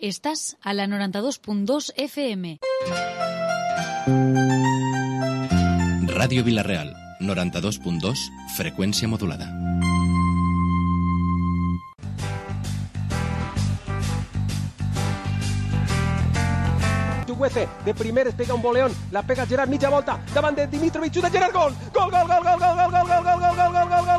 Estás a la 92.2 FM. Ràdio Vila-real, 92.2, freqüència modulada. De primeres pega un voleón, la pega Gerard mitja volta, davant de Dimitrovic, de Gerard, gol! Gol, gol, gol, gol, gol, gol, gol, gol, gol, gol, gol,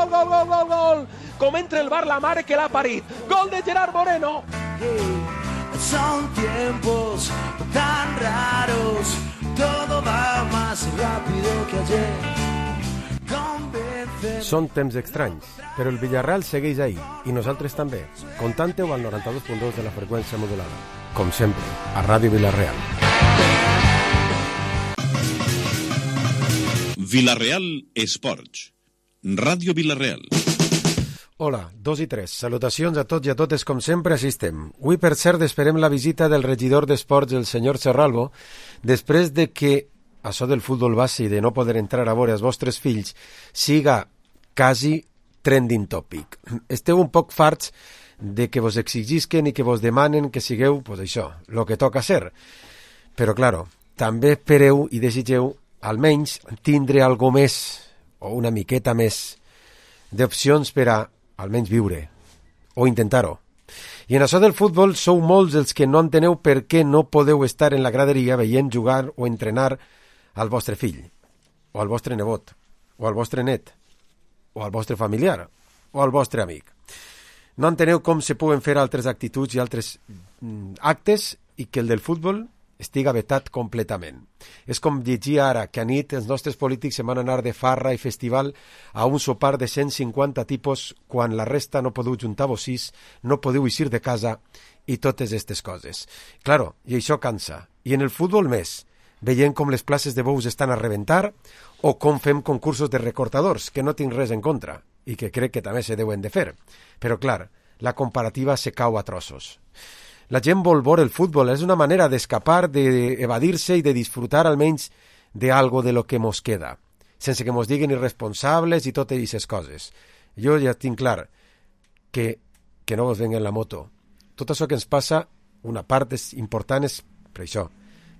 gol, gol, gol, com entra el bar la mare que l'ha parit. Gol de Gerard Moreno. Son tiempos tan raros, todo va más rápido que ayer. Són temps estranys, però el Villarreal segueix ahí, i nosaltres també. Contante-ho al 92.2 de la freqüència modulada. Com sempre, a Ràdio Vila-real. Vila-real Esports. Ràdio Vila-real. Hola, 2 i 3. Salutacions a tots i a totes, com sempre, així estem. Avui, per cert, esperem la visita del regidor d'Esports, el senyor Serralvo, després de que això del futbol base i de no poder entrar a veure els vostres fills siga quasi trending topic. Esteu un poc farts de que vos exigisquen i que vos demanen que sigueu, pues això, lo que toca ser. Però, claro, també espereu i desitgeu almenys tindre algo més o una miqueta més d'opcions per a almenys viure o intentar-ho. I en això del futbol sou molts els que no enteneu per què no podeu estar en la graderia veient jugar o entrenar al vostre fill, o al vostre nebot, o al vostre net, o al vostre familiar, o al vostre amic. No enteneu com se poden fer altres actituds i altres actes i que el del futbol estiga vetat completament. És com llegir ara que a nit els nostres polítics se van anar de farra i festival a un sopar de 150 tipus quan la resta no podeu juntar-vos 6, no podeu eixir de casa i totes aquestes coses. Claro, i això cansa. I en el futbol més, veient com les places de bous estan a rebentar o com fem concursos de recortadors, que no tinc res en contra i que crec que també se deuen de fer. Però, clar, la comparativa se cau a trossos. La gent vol veure el futbol, és una manera d'escapar, d'evadir-se i de disfrutar almenys d'algo de lo que mos queda, sense que mos diguin irresponsables i totes aquestes coses. Jo ja tinc clar que no vos venguen la moto. Tot això que ens passa, una part important és per això,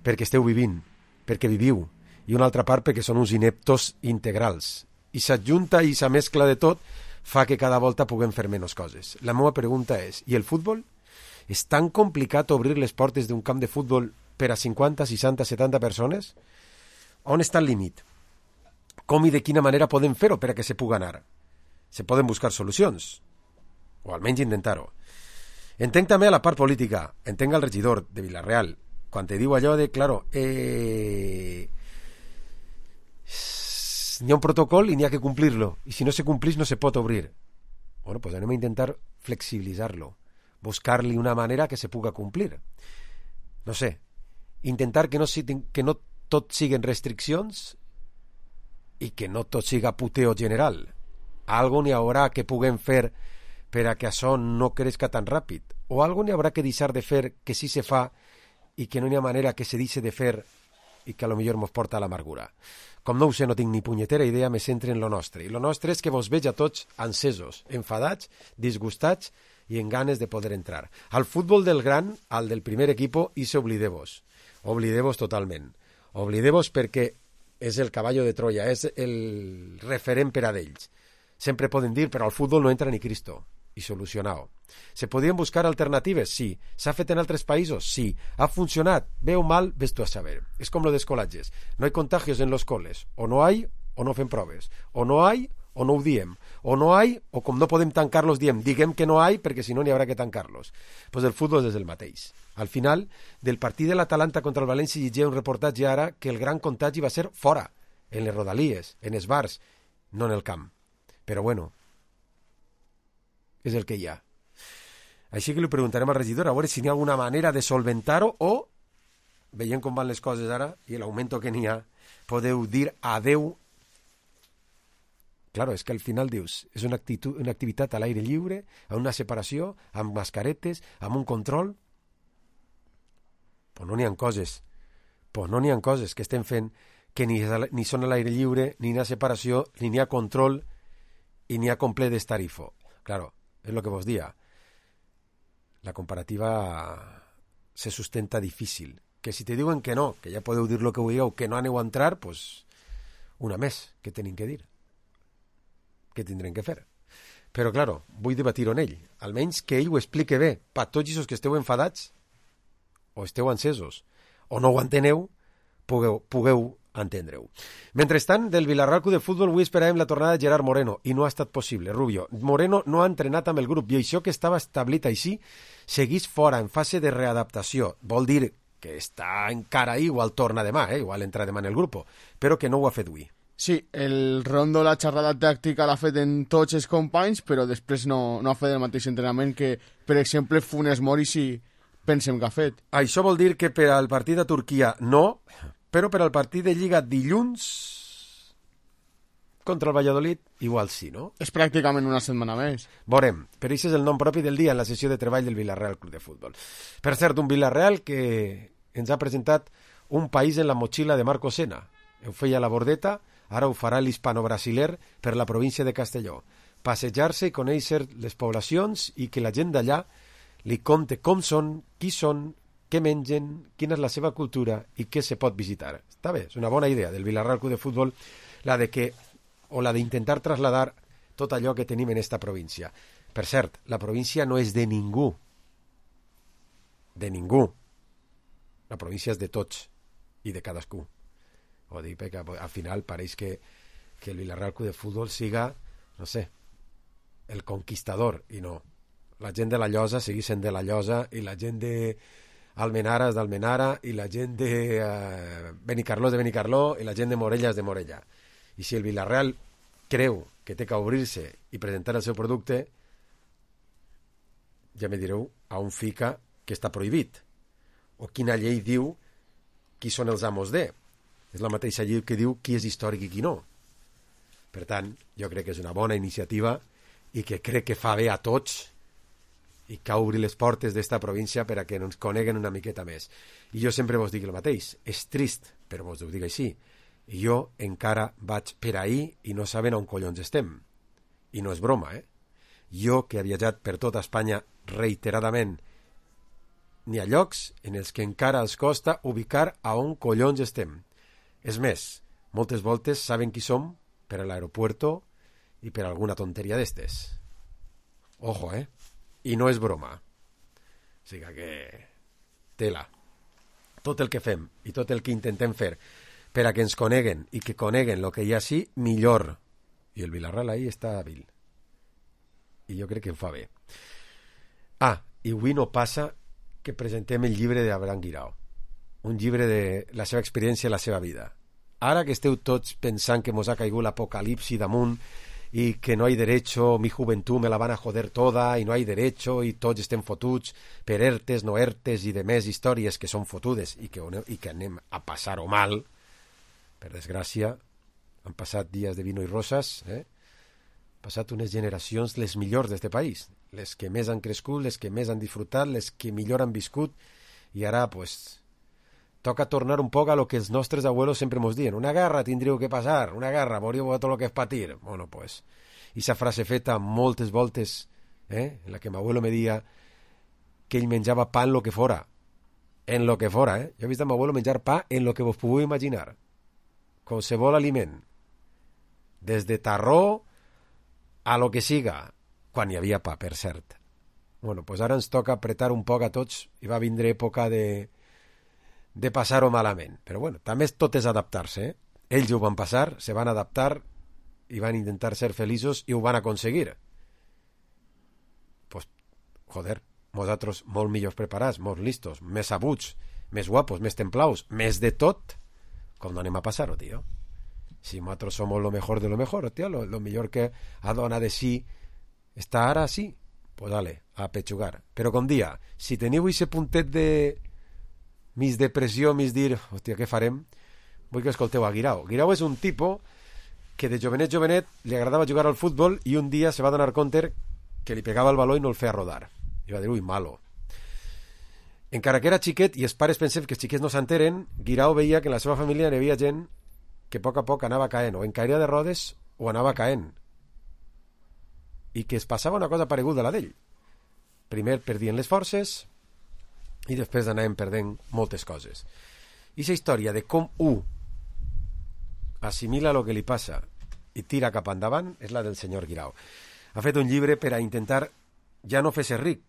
perquè esteu vivint, perquè viviu, i una altra part perquè són uns ineptos integrals. I s'adjunta i sa mescla de tot fa que cada volta puguem fer menys coses. La meva pregunta és, i el futbol? És tan complicat obrir les portes d'un camp de futbol per a 50, 60, 70 persones? On està el límit? Com i de quina manera podem fer-ho per a que se pugui anar? Se poden buscar solucions, o almenys intentar-ho. Entenc també a la part política, entenc al regidor de Vila-real, quan te diu allò de, claro, n'hi ha un protocol i n'hi ha que complir-lo, i si no se complís no se pot obrir. Bueno, pues anem a intentar flexibilitzar-lo, buscar-li una manera que se puga complir. No sé, intentar que no tot siguen restriccions i que no tot siga puteo general. Algo n'hi haurà que puguem fer per a que això no crezca tan ràpid, o algo n'hi haurà que deixar de fer que sí se fa i que no hi ha manera que se deixi de fer i que a lo millor mos porta a l'amargura. Com no ho sé, no tinc ni punyetera idea, me centre en lo nostre. I lo nostre és que vos veig a tots encesos, enfadats, disgustats i en ganes de poder entrar. Al futbol del gran, al del primer equipo, i se oblideu-vos. Oblideu-vos totalment. Oblideu-vos perquè és el caballo de Troia, és el referent per a d'ells. Sempre poden dir, però al futbol no entra ni Cristo. I solucionau. Se podien buscar alternatives? Sí. S'ha fet en altres països? Sí. Ha funcionat? Bé o mal, ves tu a saber. És com lo dels colatges. No hay contagios en los coles. O no hay, o no fem proves. O no hay, o no ho diem. O no hay, o com no podem tancar-los, diguem que no hay, perquè si no n'hi haurà que tancar-los. Pues el futbol és el mateix. Al final, del partit de l'Atalanta contra el València llegia un reportatge ara que el gran contagi va ser fora, en les rodalies, en els bars, no en el camp. Però bueno, és el que hi ha. Així que li preguntarem al regidor a veure si n'hi ha alguna manera de solventar-ho o, veient com van les coses ara i l'augment que n'hi ha, podeu dir adeu. Claro, és que al final dius, és una activitat a l'aire lliure, amb una separació, amb mascaretes, amb un control. Pues no n'hi ha coses que estem fent que ni són a l'aire lliure, ni hi ha separació, ni hi ha control, i n'hi ha complet d'estarifo. Claro, és el que vos dia. La comparativa se sustenta difícil. Que si te diuen que no, que ja podeu dir lo que vulgueu, que no aneu a entrar, pues una més, que tenim que dir. Què tindrem que fer? Però, claro, vull debatir-ho en ell. Almenys que ell ho explique bé. Per tots els que esteu enfadats, o esteu encesos, o no ho enteneu, pugueu entendre-ho. Mentrestant, del Villarreal Club de Futbol avui esperàvem la tornada de Gerard Moreno i no ha estat possible, Rubio. Moreno no ha entrenat amb el grup i això que estava establit així seguís fora, en fase de readaptació. Vol dir que està encara ahí, igual torna demà, igual entra demà en el grup, però que no ho ha fet avui. Sí, el Rondo la xerrada tàctica l'ha fet en tots els companys, però després no ha fet el mateix entrenament que, per exemple, Funes Mori sí pensem que ha fet. Això vol dir que per al partit de Turquia no, però per al partit de Lliga dilluns contra el Valladolid igual sí, no? És pràcticament una setmana més. Veurem, però això és el nom propi del dia en la sessió de treball del Villarreal Club de Futbol. Per cert, un Villarreal que ens ha presentat un país en la motxilla de Marco Sena. Ho feia la Bordeta, ara ho farà l'hispano-brasiler per la província de Castelló. Passejar-se i conèixer les poblacions i que la gent d'allà li conte com són, qui són, què mengen, quina és la seva cultura i què se pot visitar. Està bé, és una bona idea del Villarreal Club de Futbol, la de que o la d'intentar trasladar tot allò que tenim en esta província. Per cert, la província no és de ningú. De ningú. La província és de tots i de cadascú. Ho dic perquè al final pareix que el Villarreal Club de Futbol siga, no sé, el conquistador, i no. La gent de la Llosa segueix sent de la Llosa i la gent de Almenara és d'Almenara i la gent de Benicarló és de Benicarló i la gent de Morella és de Morella. I si el Villarreal creu que té que obrir-se i presentar el seu producte, ja me direu a on fica que està prohibit o quina llei diu qui són els amos de. És la mateixa llei que diu qui és històric i qui no. Per tant, jo crec que és una bona iniciativa i que crec que fa bé a tots i que obri les portes d'esta província per a que ens coneguen una miqueta més. I jo sempre vos dic el mateix, és trist, però vos ho dic així. I jo encara vaig per ahí i no saben on collons estem. I no és broma, Jo, que he viatjat per tota Espanya reiteradament, n'hi ha llocs en els que encara els costa ubicar a on collons estem. És més, moltes voltes saben qui som per a l'aeropuerto i per alguna tonteria d'estes. Ojo, I no és broma. O sigui que tela. Tot el que fem i tot el que intentem fer per a que ens coneguen i que coneguen el que hi ha així, millor. I el Villarreal ahí està hàbil. I jo crec que en fa bé. I avui no passa que presentem el llibre d'Abraham Guirao. Un llibre de la seva experiència i la seva vida. Ara que esteu tots pensant que mos ha caigut l'apocalipsi damunt y que no hay derecho, mi juventud me la van a joder toda y no hay derecho y tots estem fotuts per ertes, no ertes i de més històries que són fotudes i que anem a passar-ho mal, per desgràcia. Han passat dies de vino i roses, han passat unes generacions les millors d'este país, les que més han crescut, les que més han disfrutat, les que millor han viscut, i ara pues toca tornar un poc a lo que els nostres abuelos sempre mos diuen. Una guerra tindríeu que passar, una guerra, moriu a tot lo que és patir. Bueno, pues, esa frase feta moltes voltes, en la que mi abuelo me dia que ell menjava pa en lo que fora. En lo que fora, Jo he vist a mi abuelo menjar pa en lo que vos pugueu imaginar. Qualsevol aliment. Des de tarró a lo que siga. Quan hi havia pa, per cert. Bueno, pues ara ens toca apretar un poc a tots i va vindre època de passar-ho malament. Però bueno, també tot és adaptar-se, Ells ho van passar, se van adaptar i van intentar ser feliços i ho van aconseguir. Pues, joder, nosaltres molt millors preparats, molt listos, més sabuts, més guapos, més templaus, més de tot, com no anem a passar-ho, tio? Si nosaltres som lo mejor de lo mejor, tio, lo millor que ha donat de si està ara sí, pues dale, a pechugar. Però com dia, si teniu aquest puntet de mis depressió, mis dir, hòstia, què farem? Vull que escolteu a Guirao. Guirao és un tipo que de jovenet li agradava jugar al futbol i un dia se va donar compte que li pegava el baló i no el feia rodar. I va dir, ui, malo. Encara que era xiquet, i els pares pensem que els xiquets no s'enteren, Guirao veia que en la seva família hi havia gent que a poc anava caent, o en caïda de rodes o anava caent, i que es passava una cosa pareguda a la d'ell. Primer perdien les forces i després anàvem perdent moltes coses. I aquesta història de com assimila el que li passa i tira cap endavant és la del senyor Guirao. Ha fet un llibre per a intentar ja no fer-se ric,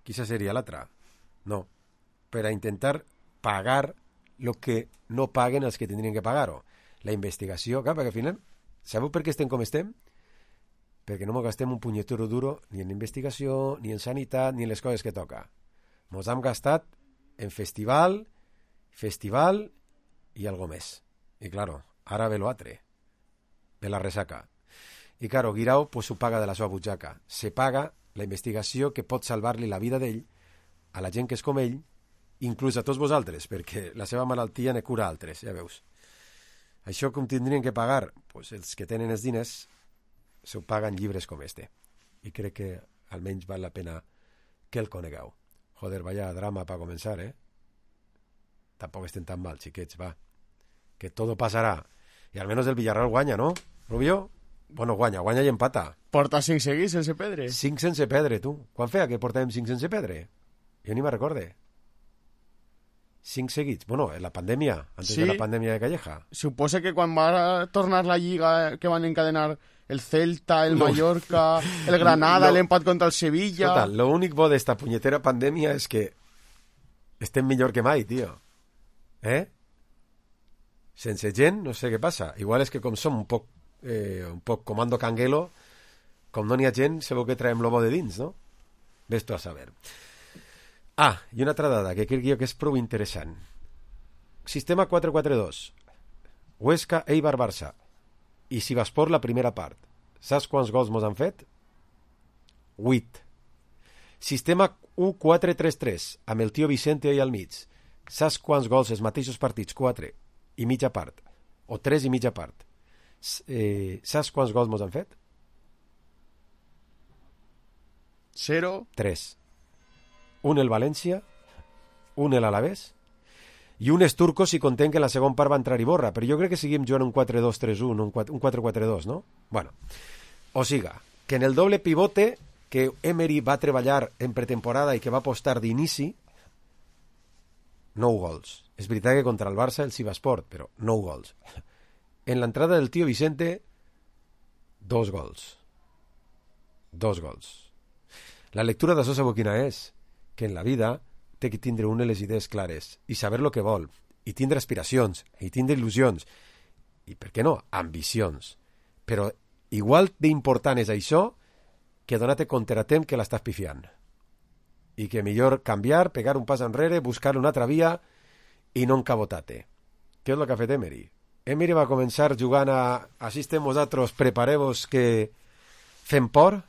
quizá seria l'altra, no, per a intentar pagar el que no paguen els que tindrien que pagar-ho. La investigació, clar, perquè al final, sabeu per què estem com estem? Perquè no ens gastem un punyetero duro ni en investigació, ni en sanitat, ni en les coses que toca. Ens hem gastat en festival i algo més. I claro, ara ve l'altre, de la resaca. I claro, Guirao pues, ho paga de la seva butxaca. Se paga la investigació que pot salvar-li la vida d'ell a la gent que és com ell, inclús a tots vosaltres, perquè la seva malaltia ne cura altres, ja veus. Això com tindrien que pagar? Pues els que tenen els diners s'ho paguen llibres com este. I crec que almenys val la pena que el conegueu. Joder, vaya drama para començar, eh? Tampoc estem tan mal, xiquets, va. Que todo pasará. I almenys el Villarreal guanya, ¿no, Rubio? Bueno, guanya i empata. Porta 5 seguits sense perdre. 5 sense perdre, tu. Quan feia que portàvem 5 sense perdre? Jo ni me recorde. 5 seguits. Bueno, en la pandèmia, antes de la pandèmia de Calleja. Suposa que quan va tornar la Lliga, que van encadenar el Celta, el Mallorca, el Granada, l'empat contra el Sevilla... Escolta, lo únic bo d'esta punyetera pandèmia és que estem millor que mai, tio. Sense gent, no sé què passa. Igual és que com som un poc comando canguelo, com no n'hi ha gent, sabeu que traiem l'obo de dins, no? Ves tu a saber. I una altra dada que crec jo que és prou interessant. Sistema 4-4-2. Huesca, Eibar, Barça. I Sivaspor la primera part. Saps quants gols mos han fet? 8. Sistema 1-4-3-3, amb el tio Vicente ahí al mig. Saps quants gols els mateixos partits? 4 i mitja part. O 3 i mitja part. Saps quants gols mos han fet? 0. 3. Un el València, un el Alavés, i un és turco si contem que en la segona part va entrar Iborra, però jo crec que seguim jugant un 4-2-3-1, un 4-4-2, no? Bueno, o siga, que en el doble pivote que Emery va treballar en pretemporada i que va apostar d'inici, 9 gols. És veritat que contra el Barça el Sivaspor, però 9 gols. En l'entrada del tio Vicente, 2 gols. 2 gols. La lectura d'això sabeu quina és? Que en la vida té que tindre una les idees clares i saber lo que vol, i tindre aspiracions, i tindre il·lusions, i, per què no, ambicions. Però igual d'important és això que donar-te compte a temps que l'estàs pifiant. I que millor canviar, pegar un pas enrere, buscar una altra via i no encabotar-te. Què és el que ha fet Emery? Emery va començar jugant a així estem vosaltres, prepareu-vos que fem por,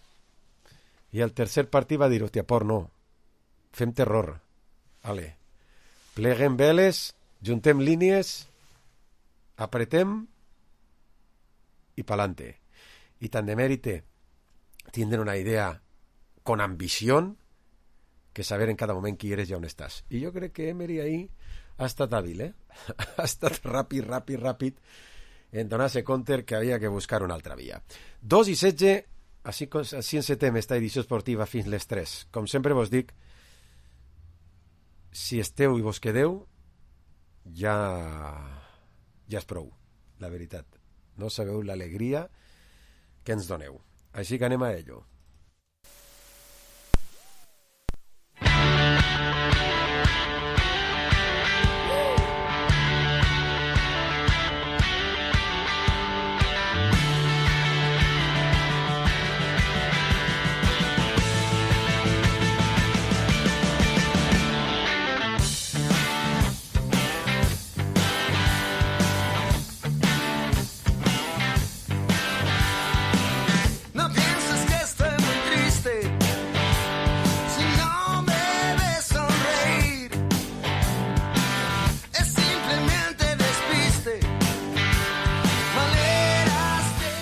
i el tercer partit va dir, hòstia, por no, fem terror. Vale. Pleguem veles, juntem línies, apretem i pa'lante. I tant de mèrit tindre una idea con ambició que saber en cada moment qui eres i on estàs. I jo crec que Emery ahí ha estat hàbil, ha estat ràpid en donar-se compte que havia que buscar una altra via. 2:16, així encetem esta edició esportiva fins les 3. Com sempre vos dic, si esteu i vos quedeu, ja és prou, la veritat. No sabeu l'alegria que ens doneu. Així que anem a ello.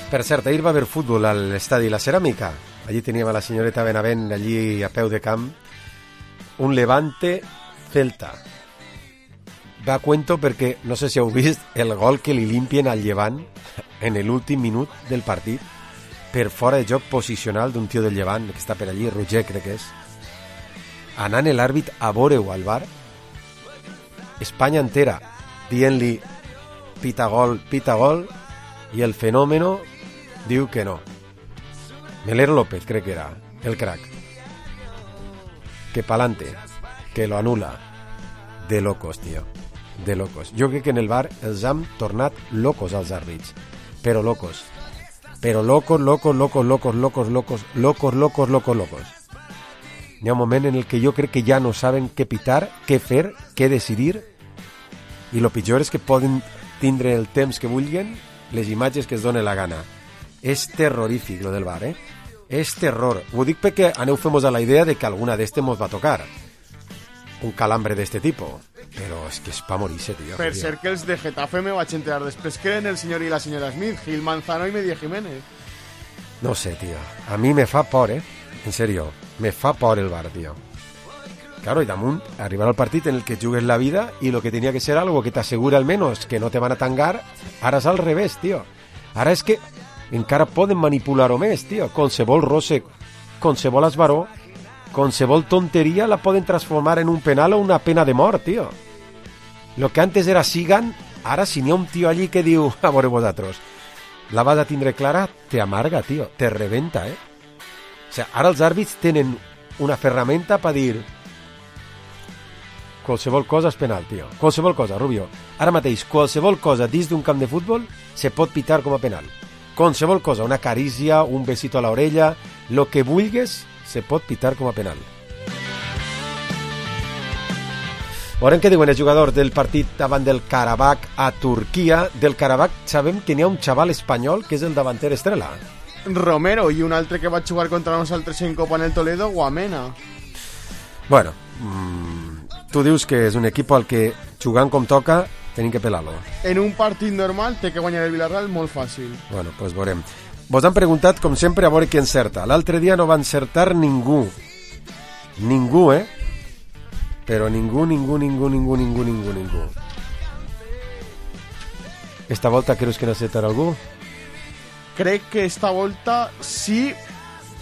Per cert, ahir va haver futbol a l'estadi La Ceràmica. Allí teníem a la senyoreta Benavent, allí a peu de camp, un Levante Celta. va a cuento perquè, no sé si heu vist, el gol que li limpien al Llevant en l'últim minut del partit per fora de joc posicional d'un tio del Llevant que està per allí, Roger crec que és, anant l'àrbit a veure-ho al bar, Espanya entera dient-li pita gol, i el fenómeno diu que no. Melero López crec que era el crack, que pa'lante, que lo anula. De locos, tio, de locos. Jo crec que en el bar els han tornat locos als àrbits, però locos, locos. Hi ha un moment en el que jo crec que ja no saben què pitar, què fer, què decidir, i lo pitjor és que poden tindre el temps que vulguin, les imatges que es doni la gana. És terrorífic lo del bar, És terror. Ho dic perquè aneu fem-vos a la idea de que alguna d'este mos va tocar. Un calambre d'este tipo. Però és que és pa morir-se, tio. Per ser que els de Getafe me vaig enterar després que eren el senyor i la senyora Smith, Gil Manzano i Media Jiménez. No sé, tio. A mi me fa por, En serio. Me fa por el bar, tio. Claro, y damunt, arribar al partit en el que jugues la vida y lo que tenía que ser algo que t'assegura al menos que no te van a tangar, ara és al revés, tio. Ara és que encara poden manipular-ho més, tio. Qualsevol roce, qualsevol esbaró, qualsevol tonteria la poden transformar en un penal o una pena de mort, tio. Lo que antes era sigan, ara si n'hi ha un tio allí que diu, a veure vosaltres, la vas a tindre clara, te amarga, tio, te rebenta, O sea, ara els àrbits tenen una ferramenta per dir qualsevol cosa és penal, tio. Qualsevol cosa, Rubio. Ara mateix, qualsevol cosa dins d'un camp de futbol se pot pitar com a penal. Qualsevol cosa, una carícia, un besito a l'orella, lo que vulgues se pot pitar com a penal. Veurem què diuen els jugadors del partit davant del Karabakh a Turquia. Del Karabakh sabem que n'hi ha un xaval espanyol que és el davanter estrella. Romero, i un altre que va jugar contra nosaltres en Copa en el Toledo, Guamena. Bueno, tu dius que és un equip al que jugant com toca tenim que pelar-lo. En un partit normal té que guanyar el Villarreal molt fàcil. Bueno, pues veurem. Vos han preguntat, com sempre, a veure qui encerta. L'altre dia no va encertar ningú. Ningú, Però ningú. Esta volta creus que n'encertarà algú? Crec que esta volta sí,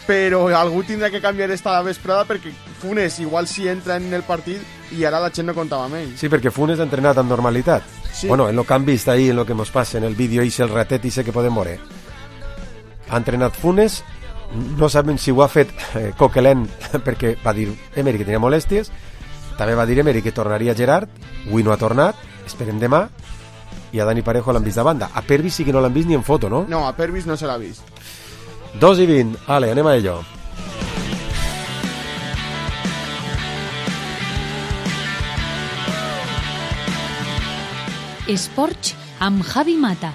però algú tindrà que canviar esta vesprada perquè Funes igual sí entra en el partit i ara la gent no comptava amb ell. Sí, perquè Funes ha entrenat amb normalitat. Sí. Bueno, en lo que han vist ahí, en lo que nos passa en el vídeo i el ratet i sé que podem veure. Ha entrenat Funes, no sabem si ho ha fet Coquelin perquè va dir Emery que tenia molèsties, també va dir Emery que tornaria Gerard, avui no ha tornat, esperem demà, i a Dani Parejo l'han vist de banda. A Pervis sí que no l'han vist ni en foto, no? No, a Pervis no se l'ha vist. 2:20, ale, anem a ello. Esports amb Javi Mata.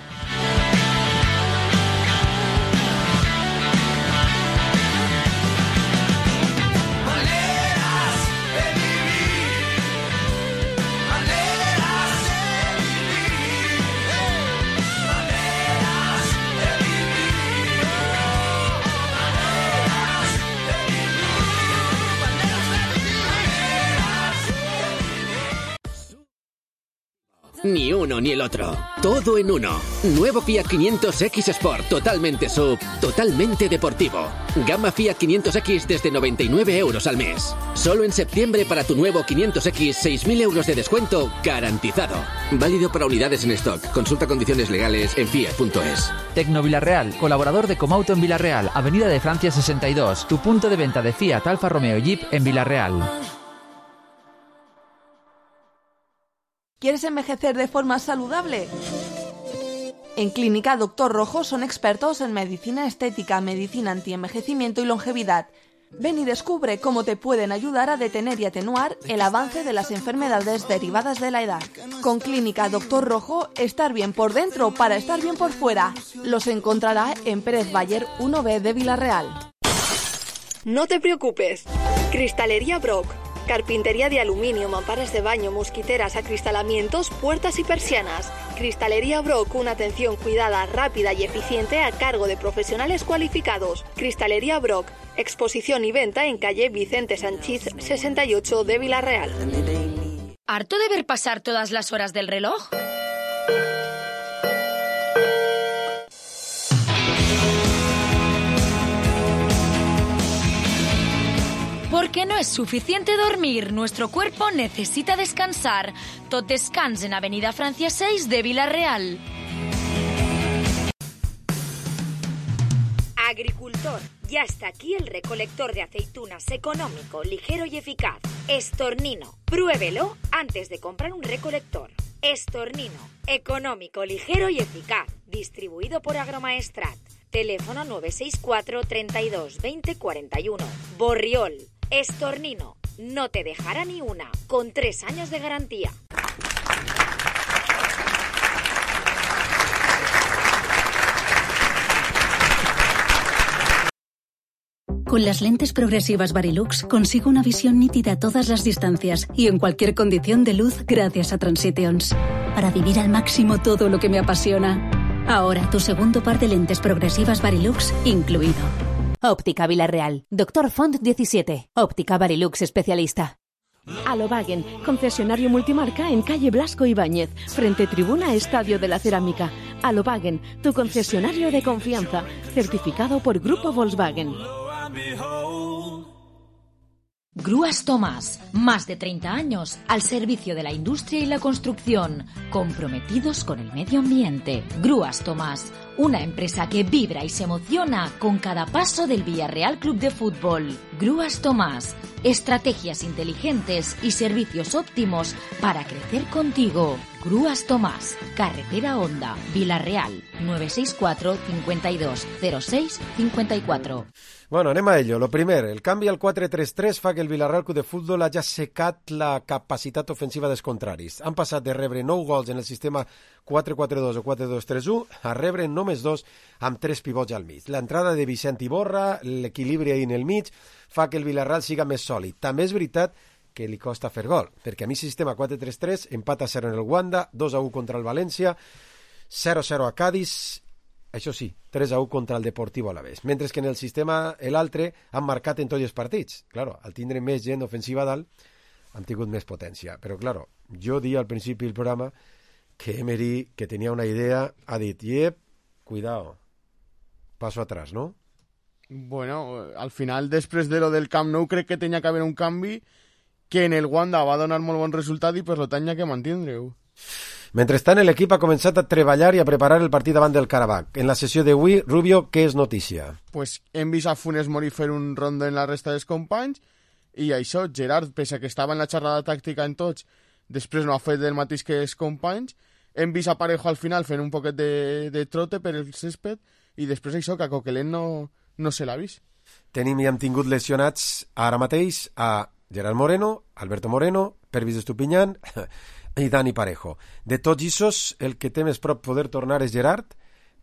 Ni uno ni el otro. Todo en uno. Nuevo Fiat 500X Sport. Totalmente sub. Totalmente deportivo. Gama Fiat 500X desde 99 euros al mes. Solo en septiembre para tu nuevo 500X, 6.000 euros de descuento garantizado. Válido para unidades en stock. Consulta condiciones legales en fiat.es. Tecno Villarreal, colaborador de Comauto en Villarreal, Avenida de Francia 62. Tu punto de venta de Fiat, Alfa Romeo y Jeep en Villarreal. ¿Quieres envejecer de forma saludable? En Clínica Dr. Rojo son expertos en medicina estética, medicina antienvejecimiento y longevidad. Ven y descubre cómo te pueden ayudar a detener y atenuar el avance de las enfermedades derivadas de la edad. Con Clínica Dr. Rojo, estar bien por dentro para estar bien por fuera. Los encontrará en Pérez Bayer 1B de Villarreal. No te preocupes. Cristalería Brock. Carpintería de aluminio, mamparas de baño, mosquiteras, acristalamientos, puertas y persianas. Cristalería Brock, una atención cuidada, rápida y eficiente a cargo de profesionales cualificados. Cristalería Brock, exposición y venta en calle Vicente Sanchís 68 de Villarreal. ¿Harto de ver pasar todas las horas del reloj? Porque no es suficiente dormir, nuestro cuerpo necesita descansar. Tot descans en Avenida Francia 6 de Vila-real. Agricultor, ya está aquí el recolector de aceitunas económico, ligero y eficaz. Estornino, pruébelo antes de comprar un recolector. Estornino, económico, ligero y eficaz. Distribuido por Agromaestrat. Teléfono 964 32 20 41. Borriol, Estornino, no te dejará ni una, con 3 años de garantía. Con las lentes progresivas Varilux consigo una visión nítida a todas las distancias y en cualquier condición de luz gracias a Transitions. Para vivir al máximo todo lo que me apasiona. Ahora tu segundo par de lentes progresivas Varilux incluido. Óptica Vila-real. Dr. Font 17. Óptica Varilux especialista. Alobagen, concesionario multimarca en calle Blasco Ibáñez, frente tribuna Estadio de la Cerámica. Alobagen, tu concesionario de confianza, certificado por Grupo Volkswagen. Grúas Tomás, más de 30 años al servicio de la industria y la construcción, comprometidos con el medio ambiente. Grúas Tomás, una empresa que vibra y se emociona con cada paso del Villarreal Club de Fútbol. Grúas Tomás, estrategias inteligentes y servicios óptimos para crecer contigo. Grúas Tomás, carretera Honda, Vila-real, 964 52 06 54. Bueno, anem a ello. Lo primer, el canvi al 4-3-3 fa que el Villarreal Club de Futbol hagi assecat la capacitat ofensiva dels contraris. Han passat de rebre 9 gols en el sistema 4-4-2 o 4-2-3-1 a rebre només 2 amb 3 pivots al mig. L'entrada de Vicent Iborra, l'equilibri ahí en el mig, fa que el Villarreal siga més sòlid. També és veritat que li costa fer gol, perquè a mi sistema 4-3-3 empata 0 en el Wanda, 2-1 contra el València, 0-0 a Cádiz, això sí, 3-1 contra el Deportivo Alavés. Mentre que en el sistema, l'altre, han marcat en tots els partits. Claro, al tindre més gent ofensiva dalt, han tingut més potència. Però, claro, jo di al principi del programa que Emery, que tenia una idea, ha dit, cuidado, paso atrás, ¿no? Bueno, al final, després de lo del Camp Nou, crec que tenia que haver un canvi que en el Wanda va donar molt bon resultat i per tant hi ha que mantindre-ho. Mentrestant, l'equip ha començat a treballar i a preparar el partit davant del Karabakh. En la sessió d'avui, Rubio, què és notícia? Pues hem vist a Funes Mori fer un rondo en la resta dels companys i això, Gerard, pese que estava en la xerrada tàctica en tots, després no ha fet el mateix que els companys. Hem vist a Parejo al final fent un poquet de trote per el césped i després això, que a Coquelin no se l'ha vist. Tenim i hem tingut lesionats ara mateix a Gerard Moreno, Alberto Moreno, Pervis Estupiñán i Dani Parejo. De tots issos, el que té més prop poder tornar és Gerard,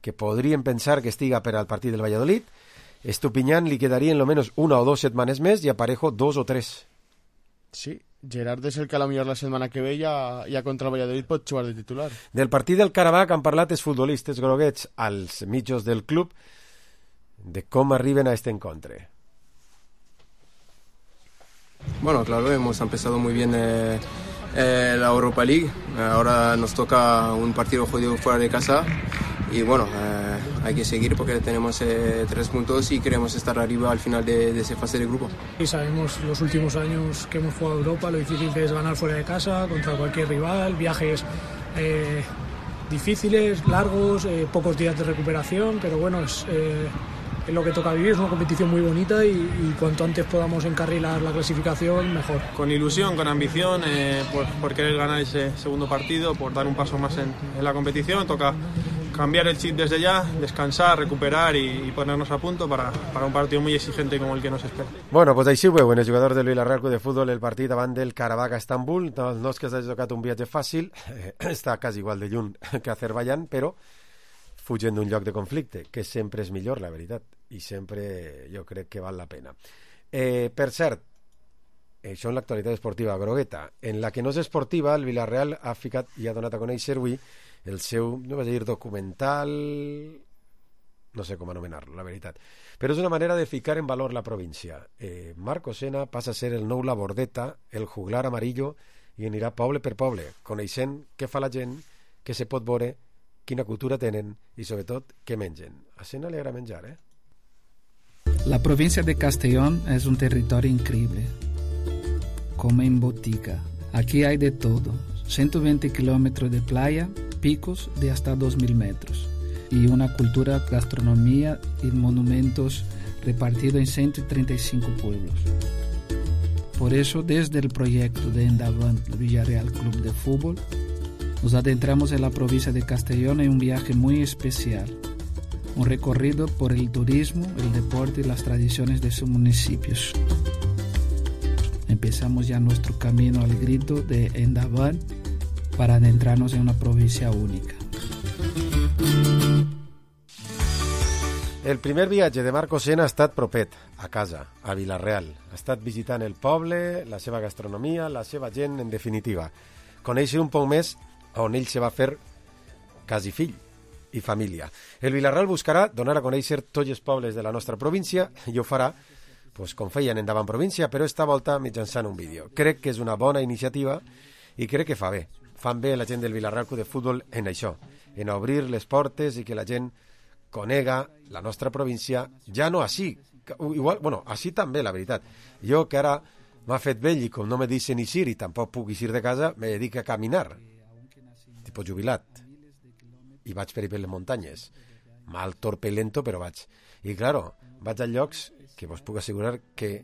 que podríem pensar que estiga per al partit del Valladolid. Estupiñán li quedarien almenys 1 o 2 setmanes més i a Parejo 2 o 3. Sí, Gerard és el que a la millor la setmana que ve ja contra el Valladolid pot jugar de titular. Del partit del Karabakh han parlat els futbolistes groguets als mitjos del club de com arriben a este encontre. Bueno, claro, hemos empezado muy bien la Europa League. Ahora nos toca un partido jodido fuera de casa y bueno, hay que seguir porque tenemos 3 puntos y queremos estar arriba al final de esa fase de grupo. Y sabemos los últimos años que hemos jugado Europa, lo difícil que es ganar fuera de casa contra cualquier rival, viajes difíciles, largos, pocos días de recuperación, pero bueno, es lo que toca vivir, es una competición muy bonita y cuanto antes podamos encarrilar la clasificación, mejor. Con ilusión, con ambición, por querer ganar ese segundo partido, por dar un paso más en la competición, toca cambiar el chip desde ya, descansar, recuperar y ponernos a punto para un partido muy exigente como el que nos espera. Bueno, pues així ho veuen els jugadors del Villarreal Club de Futbol el partit davant del Karabakh a Estambul. No és que s'hagi tocat un viatge fàcil, està quasi igual de lluny que Azerbaiyán, però fugen d'un lloc de conflicte, que sempre és millor, la veritat, i sempre jo crec que val la pena. Per cert, això en l'actualitat esportiva grogueta. En la que no és esportiva, el Villarreal ha ficat i ha donat a conèixer avui el seu, no vaig dir documental, no sé com anomenar-lo, la veritat, però és una manera de ficar en valor la província. Marco Sena passa a ser el nou Labordeta, el juglar amarillo i anirà poble per poble, coneixent què fa la gent, què se pot veure, quina cultura tenen i sobretot què mengen. A Sena li agrada menjar, La provincia de Castellón es un territorio increíble, como en botica. Aquí hay de todo, 120 kilómetros de playa, picos de hasta 2.000 metros y una cultura, gastronomía y monumentos repartidos en 135 pueblos. Por eso, desde el proyecto de Endavant Villarreal Club de Fútbol, nos adentramos en la provincia de Castellón en un viaje muy especial, un recorrido por el turismo, el deporte y las tradiciones de sus municipios. Empezamos ya nuestro camino al grito de Endavant para adentrarnos en una provincia única. El primer viatge de Marco Sena ha estat propet, a casa, a Vila-real. Ha estat visitant el poble, la seva gastronomia, la seva gent, en definitiva. Conèixer un poc més on ell se va fer quasi fill i família. El Vila-real buscarà donar a conèixer tots els pobles de la nostra província i ho farà, pues, com feien en Davant Província, però esta volta mitjançant un vídeo. Crec que és una bona iniciativa i crec que fa bé. Fan bé la gent del Vila-real Club de Futbol en això, en obrir les portes i que la gent conega la nostra província, ja no així, igual, bueno, així també, la veritat. Jo, que ara m'ha fet vell i com no me deixen eixir i tampoc puc eixir de casa, me dedico a caminar, tipus jubilat, i vaig per les muntanyes, mal, torpe i lento, però vaig. I, claro, vaig a llocs que vos puc assegurar que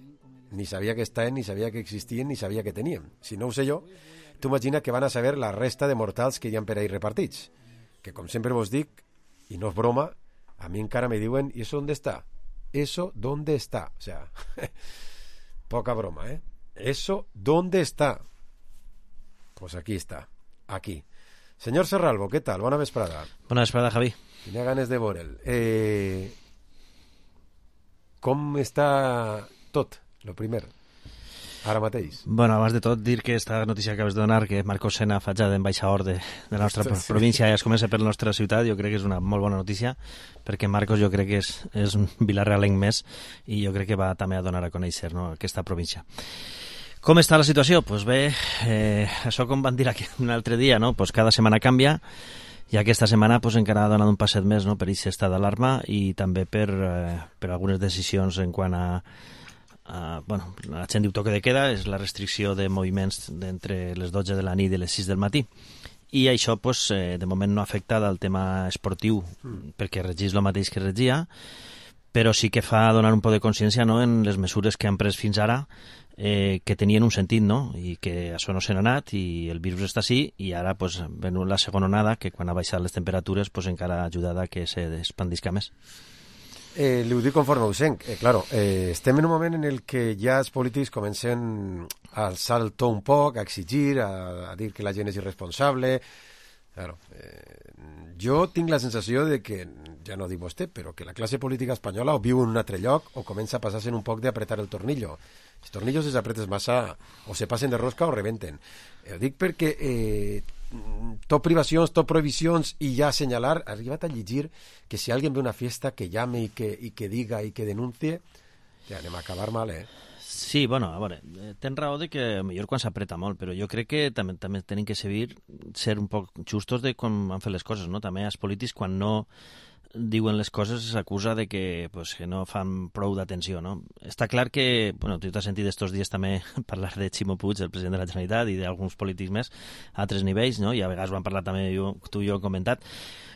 ni sabia que estaven, ni sabia que existien, ni sabia que teníem. Si no ho sé jo, tu imagina que van a saber la resta de mortals que hi ha per ahí repartits. Que, com sempre vos dic, i no és broma, a mi encara me diuen, ¿y eso dónde está? ¿Eso dónde está? O sea, poca broma, ¿eh? ¿Eso dónde está? Pues aquí está, aquí. Señor Serralvo, ¿qué tal? Bona vesprada. Bona vesprada, Javi. Tenia ganes de veure'l. Com està tot, lo primer, ara mateix? Bueno, abans de tot, dir que esta notícia que acabes de donar, que Marco Sena fa ja d'ambaixador de la nostra província i es comença per la nostra ciutat, jo crec que és una molt bona notícia, perquè Marcos jo crec que és un vilarrealenc més i jo crec que va també a donar a conèixer, no, aquesta província. Com està la situació? Pues bé, això com van dir aquí un altre dia, no? Pues cada setmana canvia i aquesta setmana pues, encara ha donat un passet més, no? Per aquest estat d'alarma i també per algunes decisions en quant a bueno, la gent diu toque de queda, és la restricció de moviments entre les 12 de la nit i les 6 del matí. I això pues, de moment no afecta al tema esportiu perquè regís el mateix que regia, però sí que fa donar un poc de consciència, no?, en les mesures que han pres fins ara, que tenien un sentit, no?, i que això no se n'ha anat i el virus està així i ara pues, ven la segona onada que quan ha baixat les temperatures pues, encara ha ajudat a que se expandisca més. Li ho dic conforme ho sent. Claro, estem en un moment en el que ja els polítics comencen a alçar el to un poc, a exigir, a dir que la gent és irresponsable. Claro, jo tinc la sensació de que, ja no dic vostè, però que la classe política espanyola o viu en un altre lloc o comença a passar-se un poc d'apretar el tornillo. Els tornillos els apretes massa o se passen de rosca o rebenten. Ho dic perquè tot privacions, tot prohibicions i ja assenyalar, ha arribat a llegir que si algú ve a una fiesta que llame i que diga i que denuncie, ja anem a acabar mal, Sí, bueno, a veure, tens raó de que millor quan s'apreta molt, però jo crec que també tenim que ser un poc justos de com han fet les coses, no? També els polítics, quan no diuen les coses, s'acusa de que, pues, que no fan prou d'atenció, no? Està clar que, bueno, tu t'has sentit estos dies també parlar de Ximo Puig, el president de la Generalitat, i d'alguns polítics més a altres nivells, no? I a vegades ho han parlat també tu i jo hem comentat.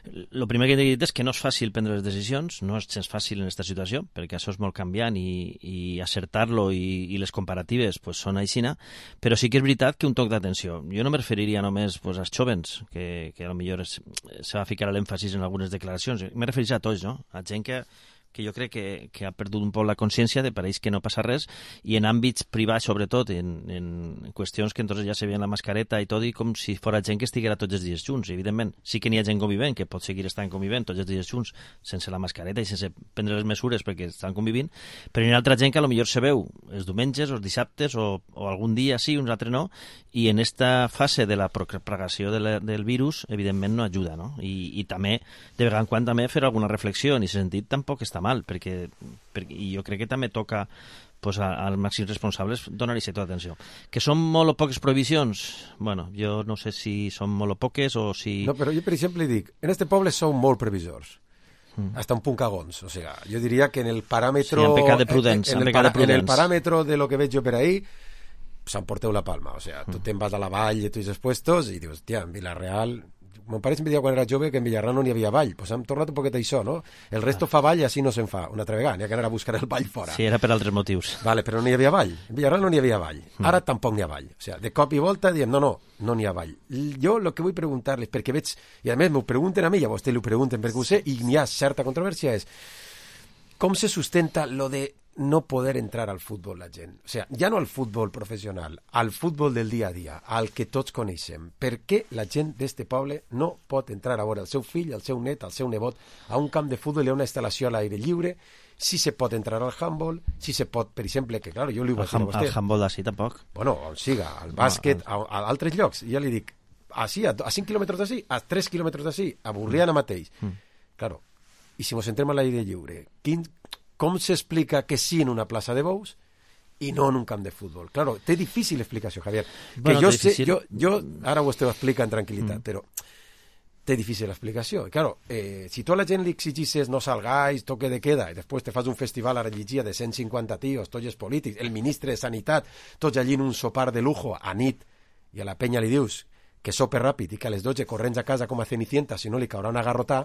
El primer que he dit és que no és fàcil prendre les decisions, no és gens fàcil en aquesta situació, perquè això és molt canviant i acertar-lo i les comparatives pues, són aixina, però sí que és veritat que un toc d'atenció. Jo no me referiria només pues, als jovens, que a lo millor se va ficar l'èmfasis en algunes declaracions, me referiria a tots, no? A gent que jo crec que ha perdut un poc la consciència de pareix que no passa res i en àmbits privats, sobretot, en qüestions que entonces ja se veien la mascareta i tot, i com si fora gent que estiguera tots els dies junts. Evidentment, sí que n'hi ha gent convivent, que pot seguir estant convivent tots els dies junts sense la mascareta i sense prendre les mesures perquè estan convivint, però hi ha altra gent que potser se veu els diumenges o els dissabtes o algun dia sí, uns altres no, i en esta fase de la propagació del virus, evidentment no ajuda, no? I també, de vegades en quan també fer alguna reflexió en aquest sentit tampoc està està mal, perquè i jo crec que també toca pues, als màxims responsables donar-hi tota atenció. Que són molt o poques prohibicions? Bueno, jo no sé si són molt o poques o si... No, però jo, per exemple, dic, en este poble són molt previsors. Hasta un punt cagons. O sea, jo diria que en el paràmetro... Sí, en pecat de prudents. En el paràmetro de lo que veig jo per ahí, s'emporteu la palma. O sea, tu te'n vas a la vall de tots els puestos i dius, hòstia, en Vila-real... Mon pare sempre deia quan era jove que en Villarreal no n'hi havia vall. Pues hem tornat un poquet això, no? El resto fa vall i així no se'n fa. Una altra vegada, n'hi ha que anar a buscar el vall fora. Sí, era per altres motius. Vale, però no n'hi havia vall. En Villarreal no n'hi havia vall. Ara tampoc n'hi ha vall. O sea, de cop i volta diem, no n'hi ha vall. Jo el que vull preguntar-les, perquè veig... I a més m'ho pregunten a mi, i a vostè li ho pregunten perquè ho sé, i n'hi ha certa controvèrsia, és com se sustenta lo de no poder entrar al futbol la gent. O sea, ja no al futbol professional, al futbol del dia a dia, al que tots coneixem. Per què la gent d'este poble no pot entrar a veure el seu fill, el seu net, el seu nebot a un camp de futbol i a una instal·lació a l'aire lliure? Si se pot entrar al handball, si se pot, per exemple, que claro, jo li ho vaig dir a vostè. Al handball d'ací tampoc. Bueno, on siga, al bàsquet, a altres llocs. I ja li dic, així, a 5 quilòmetres d'ací, a 3 quilòmetres d'ací, a Burriana mateix. Claro, i si ens entrem a l'aire lliure, com s'explica que sí en una plaça de bous i no en un camp de futbol? Claro, té difícil explicació, Javier. Bueno, que jo sé, jo ara vostè ho explica en tranquil·litat, però té difícil explicació. I claro, si tu a la gent li exigisses no salgais, toque de queda, i després te fas un festival a la llegia de 150 tios, tots els polítics, el ministre de Sanitat, tots allí en un sopar de lujo a nit, i a la penya li dius que sope ràpid i que a les 12 corrents a casa com a Cenicienta, si no li caurà una garrotà.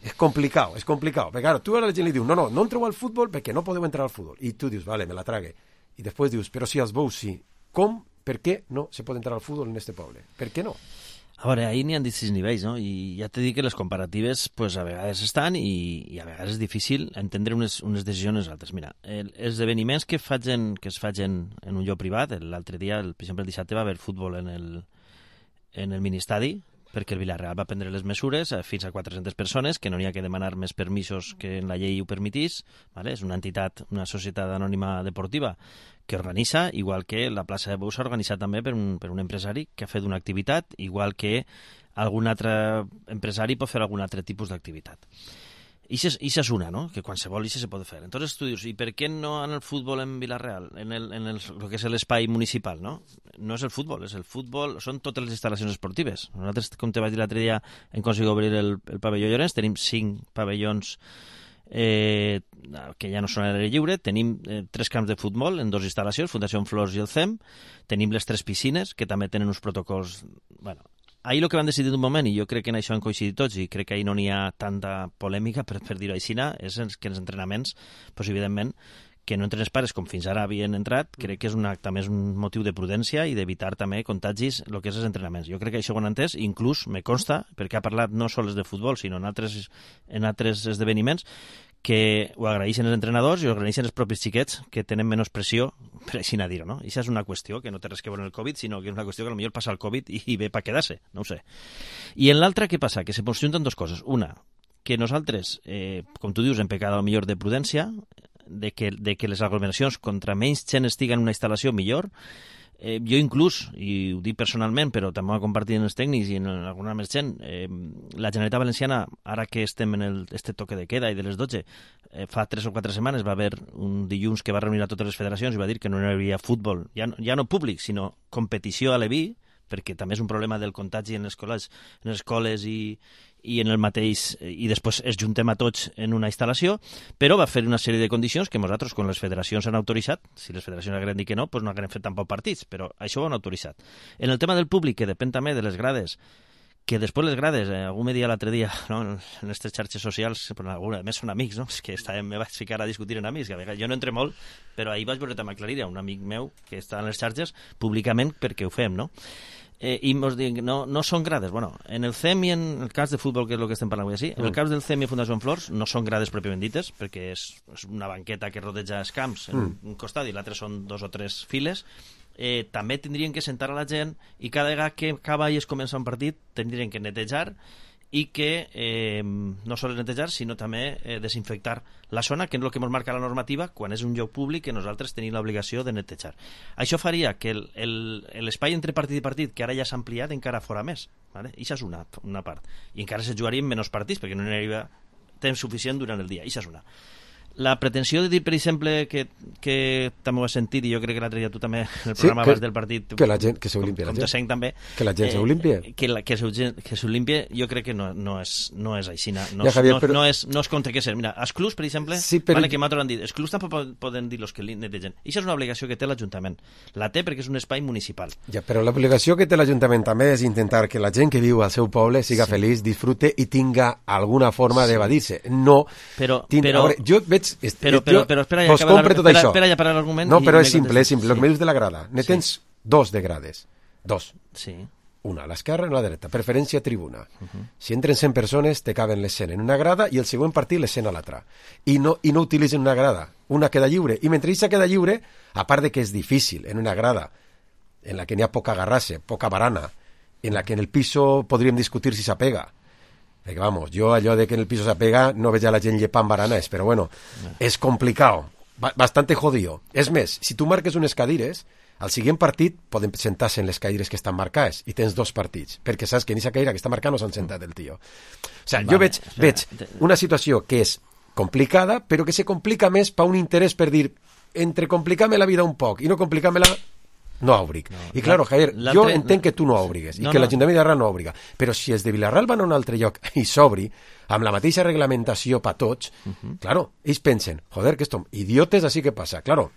És complicat. Perquè, claro, tu a la gent li dius, no entreu al futbol perquè no podeu entrar al futbol. I tu dius, vale, me la trague. I després dius, però si als bous sí. Com? Per què no se pot entrar al futbol en este poble? Per què no? A veure, ahir n'hi ha distints nivells, no? I ja t'he dit que les comparatives pues, a vegades estan i a vegades és difícil entendre unes decisions altres. Mira, els esdeveniments que es facin en un lloc privat, l'altre dia, per exemple el dissabte va haver futbol en el ministadi, perquè el Villarreal va prendre les mesures fins a 400 persones, que no n'hi ha que demanar més permisos que en la llei ho permetís, ¿vale? És una entitat, una societat anònima deportiva que organitza, igual que la plaça de Bous s'ha organitzat també per un empresari que ha fet una activitat, igual que algun altre empresari pot fer algun altre tipus d'activitat. I això és una, no? Que qualsevol això se pot fer. Entonces tu dius, i per què no en el futbol en Vila-real, en el que és l'espai municipal, no? No és el futbol, són totes les instal·lacions esportives. Nosaltres, com te vaig dir l'altre dia, hem aconseguit obrir el pavelló Llorenç, tenim 5 pavellons que ja no són a l'aire lliure, tenim 3 camps de futbol en 2 instal·lacions, Fundació Flors i el CEM, tenim les 3 piscines, que també tenen uns protocols... Bueno, ahir el que van decidir d'un moment, i jo crec que en això han coincidit tots, i crec que ahir no n'hi ha tanta polèmica, per dir-ho així, és que els entrenaments, doncs, evidentment, que no entren els pares com fins ara havien entrat, crec que també és un motiu de prudència i d'evitar també contagis el que és els entrenaments. Jo crec que això ho han entès, inclús me consta, perquè ha parlat no sols de futbol, sinó en altres esdeveniments, que ho agraeixen els entrenadors i ho agraeixen els propis xiquets, que tenen menys pressió, per així a dir-ho, no? I això és una qüestió que no té res que veure amb el Covid, sinó que és una qüestió que potser passa el Covid i ve per quedar-se, no ho sé. I en l'altra, què passa? Que se junten dues coses. Una, que nosaltres, com tu dius, hem pecat millor de prudència, de que les aglomeracions contra menys gent estiguen en una instal·lació millor. Jo inclús, i ho dic personalment, però també ho he compartit en els tècnics i en alguna més gent, la Generalitat Valenciana, ara que estem en este toque de queda i de les 12, fa 3 o 4 setmanes va haver un dilluns que va reunir a totes les federacions i va dir que no hi havia futbol, ja no públic, sinó competició a l'EVI, perquè també és un problema del contagi en les escoles i en el mateix, i després es juntem a tots en una instal·lació, però va fer una sèrie de condicions que nosaltres, quan les federacions han autoritzat, si les federacions hagueren dit que no, doncs no hagueren fet tampoc partits, però això ho han autoritzat. En el tema del públic, que depèn també de les grades, que després les grades, algú me dia l'altre dia, no, en aquestes xarxes socials, però a més són amics, no? És que me vaig ficar a discutir en amics, que a vegades jo no entre molt, però ahir vaig veure també aclarir a un amic meu que està en les xarxes públicament perquè ho fem, no? I ens diuen, no són grades. Bueno, en el CEM i en el cas de futbol, que és el que estem parlant avui així, en el cas del CEM i Fundació Flors no són grades pròpiament dites, perquè és una banqueta que rodeja els camps en un costat i l'altre són 2 o 3 files. També tindrien que sentar a la gent i cada vegada que acaba i es comença un partit tindrien que netejar i que no sols netejar, sinó també desinfectar la zona, que és el que ens marca la normativa quan és un lloc públic que nosaltres tenim l'obligació de netejar. Això faria que l'espai entre partit i partit, que ara ja s'ha ampliat, encara fora més. ¿Vale? I això és una part. I encara se jugarien menys partits, perquè no n'hi hauria temps suficient durant el dia. Això és una. La pretensió de dir, per exemple, que també ho has sentit, i jo crec que l'altre dia tu també, en el programa abans del partit... Que la gent, que s'olimpia la gent. Com te sent també. Que la gent s'olimpia. Que s'olimpia, jo crec que no és així. No és contra què ser. Mira, els clubs, per exemple, vale, que m'altres han dit, els clubs tampoc poden dir los que netegen. Això és una obligació que té l'Ajuntament. La té perquè és un espai municipal. Ja, però l'obligació que té l'Ajuntament també és intentar que la gent que viu al seu poble siga feliç, disfrute i tinga alguna forma d'evadir-se. No... Però jo veig... Però espera ja acabar l'argument. No, però és simple. El que me dius de la grada. Ne tens dos de grades. Dos. Sí. Una a l'esquerra i una a la dreta. Preferència tribuna. Si entren 100 persones, te caben les 100 en una grada i el següent partit les 100 a l'altra. I no utilitzen una grada. Una queda lliure. I mentre aquesta queda lliure, a part de que és difícil en una grada en la que n'hi ha poca garrassa, poca barana, en la que en el piso podríem discutir si s'apega. Perquè, vamos, jo allò de que en el piso s'apega no veig a la gent llepant baranes, però bueno, és complicat, bastante jodido. És més, si tu marques unes cadires, al següent partit poden sentar-se en les cadires que estan marcades i tens dos partits, perquè saps que en aquesta cadira que està marcada no s'han sentat el tio. O sigui, jo veig una situació que és complicada, però que se complica més per un interès per dir, entre complicar-me la vida un poc i no complicar-me-la, no obric. I claro, Javier, jo entenc que tu no obrigues i que l'Ajuntament de Villarreal no obriga, però si els de Villarreal van a un altre lloc i s'obri amb la mateixa reglamentació per tots, claro, ells pensen, joder, que estem idiotes, així que passa. Claro,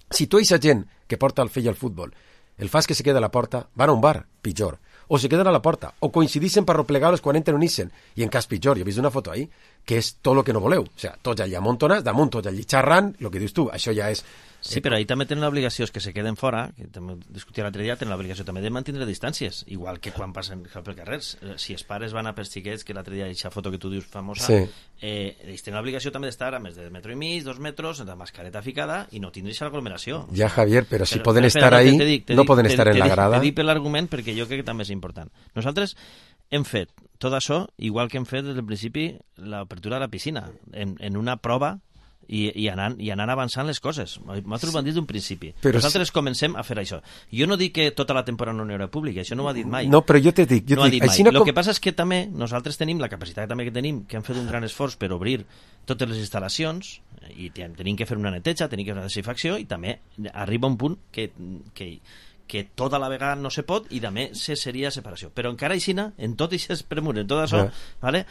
si tu eixa gent que porta el fill al futbol el fas que se queda a la porta, van a un bar, pitjor, o se queden a la porta, o coincidixen per replegar-los quan entren o unixen, i en cas pitjor, jo he vist una foto ahí, que és tot el que no voleu, o sigui, tots allà amontonats, damunt tots allà xerrant, el que dius tu, això ja és... Sí, però ahí també tenen l'obligació, que se queden fora, que també discutia l'altre dia, tenen l'obligació també de mantenir distàncies, igual que quan passen per carrers. Si els pares van a per xiquets, que l'altre dia aquesta foto que tu dius famosa, ells tenen l'obligació també d'estar a més de metro i mig, 2 metres, amb la mascareta ficada, i no tindre l'aglomeració. Ja, Javier, però si poden estar ahí, no poden estar en la grada. T'he dit per l'argument perquè jo crec que també és important. Nosaltres hem fet tot això, igual que hem fet des del principi l'obertura de la piscina, en una prova i anant avançant les coses. Nosaltres ho vam dir d'un principi. Però nosaltres comencem a fer això. Jo no dic que tota la temporada no hi haurà públic, això no ho ha dit mai. No, però jo t'he dit... El que passa és que també nosaltres tenim la capacitat també que tenim, que hem fet un gran esforç per obrir totes les instal·lacions i tenim que fer una neteja, tenim que fer una desinfecció i també arriba un punt que tota la vegada no se pot i també seria separació. Però encara aixina, en tot aquest premur, en tot això, vale?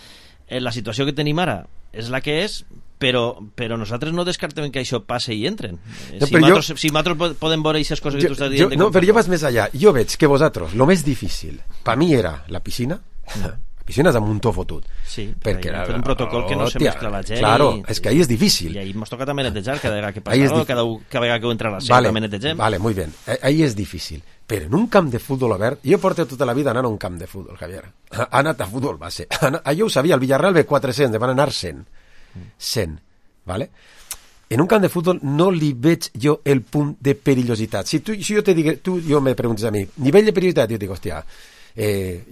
La situació que tenim ara és la que és, però nosaltres no descartem que això passe i entren. Si nosaltres podem veure aquestes coses que tu estàs dient... No, però jo vaig més allà. Jo veig que vosaltres, el més difícil, per mi era la piscina. La piscina és amb un to fotut. Sí, perquè hem fet un protocol que no se mescla la gent. Claro, és que ahí és difícil. I ahí ens toca també netejar cada vegada que passa cada vegada que entra la gent també netegem. Vale, muy bien. Ahí és difícil. Però en un camp de futbol obert, jo porto tota la vida anant a un camp de futbol, Javier. Ha anat a futbol base. Jo ho sabia, el Villarreal ve 400, van anar 100. 100, ¿vale? En un camp de futbol no li veig jo el punt de perillositat. Si jo te digués, jo me preguntes a mi, nivell de perillositat, jo dic, hòstia,